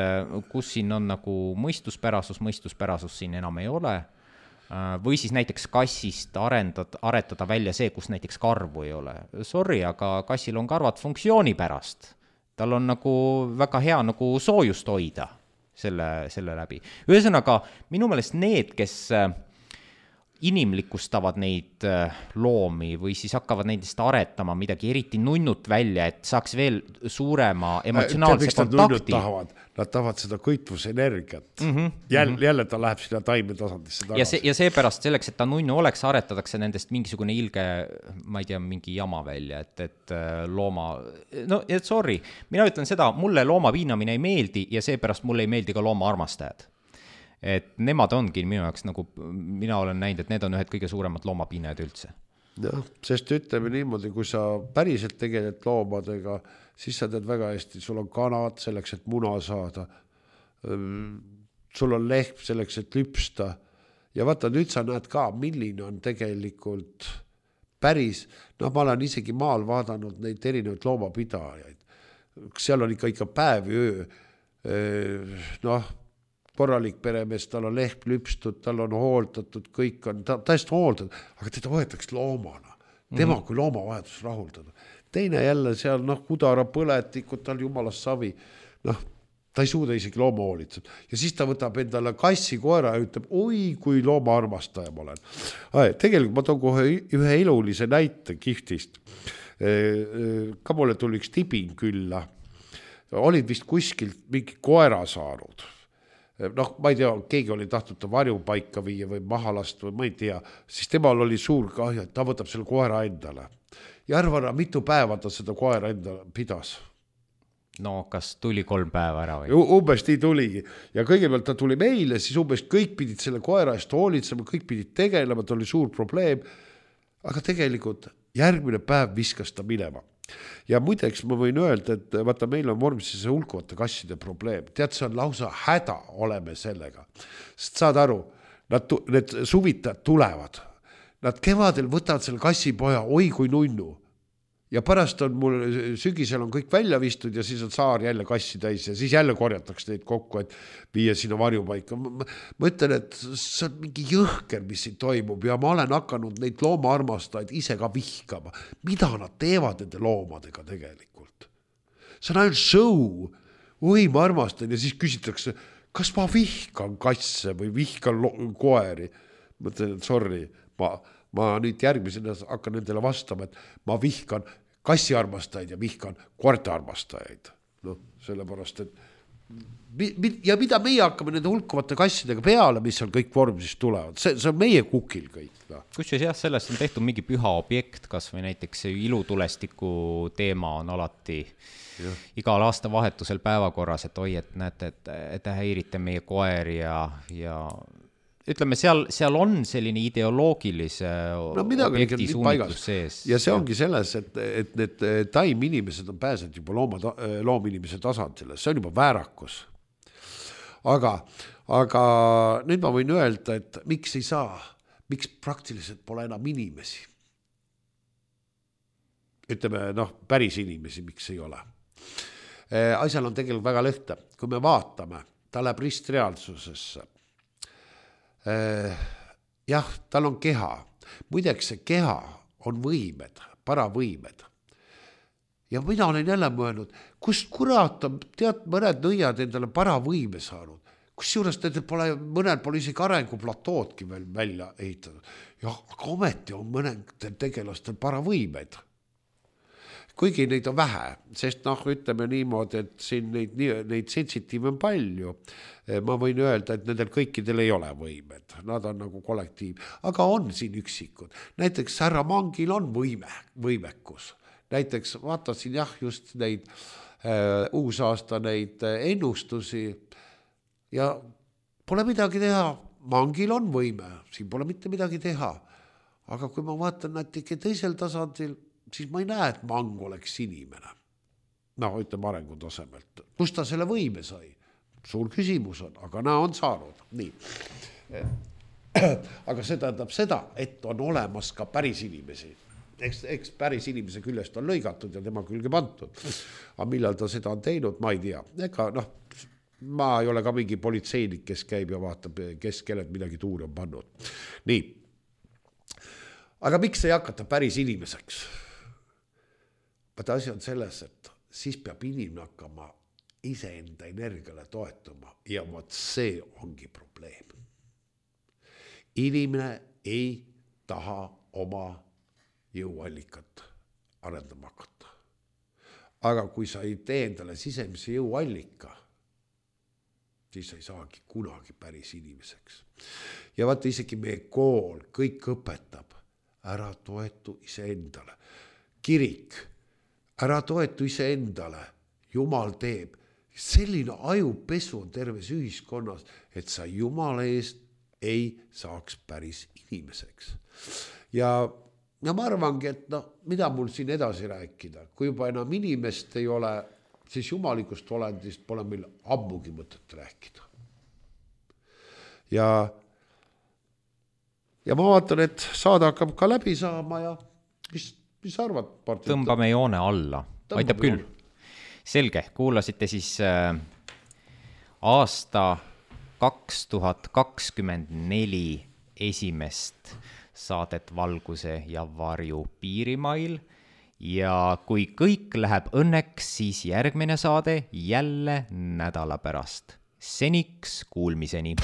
kus siin on nagu mõistuspärasus, mõistuspärasus siin enam ei ole. Või siis näiteks kassist arendada, aretada välja see, kus näiteks karvu ei ole. Sorry, aga kassil on karvad funktsiooni pärast. Tal on nagu väga hea nagu soojust hoida selle, selle läbi. Ühesõnaga, minu meelest need, kes inimlikustavad neid loomi või siis hakkavad nendest aretama midagi eriti nunnut välja, et saaks veel suurema emotsionaalse kontakti. Tahavad? Nad tahavad seda kõitvusenergiat. Mm-hmm. Jälle, jälle ta läheb sinna taime tasandisse tagasi. Ja, see, ja seepärast selleks, et ta nunnu oleks, aretadatakse nendest mingisugune ilge, ma ei tea, mingi jama välja, et, et looma, no et sorry, mina ütlen seda, mulle looma piinamine ei meeldi ja seepärast mulle ei meeldi ka looma armastajad. Et nemad ongi minu jaoks, nagu mina olen näinud, et need on ühed kõige suuremad loomapiinajad üldse. Jah, sest ütleme niimoodi, kui sa päriselt tegeled loomadega, siis sa teed väga hästi, sul on kanad selleks, et muna saada, sul on lehm selleks, et lüpsta ja vaata, nüüd sa näed ka, milline on tegelikult päris, noh, ma olen isegi maal vaadanud neid erinevaid loomapidajaid, seal on ikka, ikka päev ja öö, noh, korralik peremees, tal on lehm lüpstud, tal on hooldatud, kõik on ta, täiesti hooldatud, aga teda võetakse loomana. Tema kui loomavajadus rahuldada. Teine jälle seal, noh, kudara põletikud, tal jumalast savi, noh, ta ei suuda isegi looma hoolitseda. Ja siis ta võtab endale kassi koera ja ütleb, oi, kui looma armastaja ma olen. Tegelikult ma toon kohe ühe elulise näite kihtist. Ka mulle tuli üks tibin külla. Olid vist kuskilt mingi koera saanud. Noh, ma ei tea, keegi oli tahtnud ta varjupaika viia või mahalast või ma ei tea, siis temal oli suur kahju, et ta võtab selle koera endale. Ja arvana, mitu päeva ta seda koera endale pidas? No, kas tuli kolm päeva ära või? Umbes nii tuligi. Ja kõigepealt ta tuli meile, siis umbes kõik pidid selle koera eest hoolitsema, kõik pidid tegelema, ta oli suur probleem. Aga tegelikult järgmine päev viskas ta minema. Ja muideks ma võin öelda, et vaata, meil on vormises hulkuvate kasside probleem. Tead, see on lausa häda oleme sellega. Sest saad aru, nad, need suvitajad tulevad. Nad kevadel võtavad selle kassipoja, oi kui nunnu. Ja pärast on mul, sügisel on kõik välja vistud ja siis on saar jälle kassi täis ja siis jälle korjatakse neid kokku, et viia sinna varjupaika. Ma, ma ütlen, et see on mingi jõhker, mis siin toimub ja ma olen hakanud neid loomaarmastajaid ise ka vihkama. Mida nad teevad nende loomadega tegelikult? See on ainult show. Oi, ma armastan ja siis küsitakse, kas ma vihkan kasse või vihkan koeri? Ma ütlen, et sorry, ma, ma nüüd järgmisena hakkan nendele vastama, et ma vihkan kassiarmastajaid ja vihkan koertearmastajaid. No, sellepärast, et ja mida meie hakkame nende hulkuvate kassidega peale, mis seal kõik vormisest tulevad, see, see on meie kukil kõik. No. Kusjuures jah, sellest on tehtud mingi püha objekt, kas või näiteks ilutulestiku teema on alati ja. Igal aasta vahetusel päevakorras, et oi, et näete, et, et häirite meie koeri ja, ja ütleme, seal, seal on selline ideoloogilise no, objekti suunitlus sees. Ja see ongi selles, et, et need taiminimesed on pääsenud juba looma, loominimese tasandile. See on juba väärakus. Aga, aga nüüd ma võin öelda, et miks ei saa, miks praktiliselt pole enam inimesi. Ütleme, noh, päris inimesi, miks ei ole. Asjal on tegelikult väga lõhta. Kui me vaatame, ta läheb ristreaalsusesse. Jah, tal on keha. Muideks see keha on võimed, paravõimed. Ja mina olen jälle mõelnud, kust kurat on, tead, mõned nõiad endale paravõime saanud, kus juures nendel pole, mõnel pole isegi arenguplatoodki veel välja ehitatud. Jah, aga ometi on mõnedel tegelastel paravõimed. Kuigi neid on vähe, sest noh, ütleme niimoodi, et siin neid, neid sensitiive on palju. Ma võin öelda, et nendel kõikidel ei ole võimed, nad on nagu kollektiiv, aga on siin üksikud. Näiteks härra Mangil on võime, võimekus. Näiteks vaatasin jah just neid äh, uusaasta neid ennustusi ja pole midagi teha. Mangil on võime, siin pole mitte midagi teha. Aga kui ma vaatan natuke teisel tasandil, siis ma ei näe, et Mang oleks inimene. No, ütleme arengu tasemelt. Kust ta selle võime sai? Suur küsimus on, aga näe on saanud. Nii. Aga see tähendab seda, et on olemas ka päris inimesi. Eks, eks päris inimese küljest on lõigatud ja tema külge pantud. Aga millal ta seda on teinud, ma ei tea. Ega noh, ma ei ole ka mingi politseinik, kes käib ja vaatab, kes kellelt midagi tuuri on pannud. Nii. Aga miks ei hakata päris inimeseks? Vaata asi on selles, et siis peab inimene hakkama iseenda energiale toetuma ja vaat see ongi probleem. Inimene ei taha oma jõuallikat arendama hakata. Aga kui sa ei tee endale sisemise jõuallika, siis sa ei saagi kunagi päris inimeseks. Ja vaata isegi meie kool kõik õpetab, ära toetu iseendale. Kirik, ära toetu iseendale, Jumal teeb. Selline ajupesu on terves ühiskonnas, et sa Jumala eest ei saaks päris inimeseks. Ja, ja ma arvangi, et no, mida mul siin edasi rääkida, kui juba enam inimest ei ole, siis jumalikust olendist pole meil ammugi mõtet rääkida. Ja, ja ma vaatan, et saada hakkab ka läbi saama ja mis, mis arvad? Partit? Tõmbame joone alla. Tõmbame Aitab küll. joone. Selge, kuulasite siis äh, aasta kaks tuhat kakskümmend neli esimest saadet Valguse ja varju piirimail ja kui kõik läheb õnneks, siis järgmine saade jälle nädala pärast. Seniks kuulmiseni.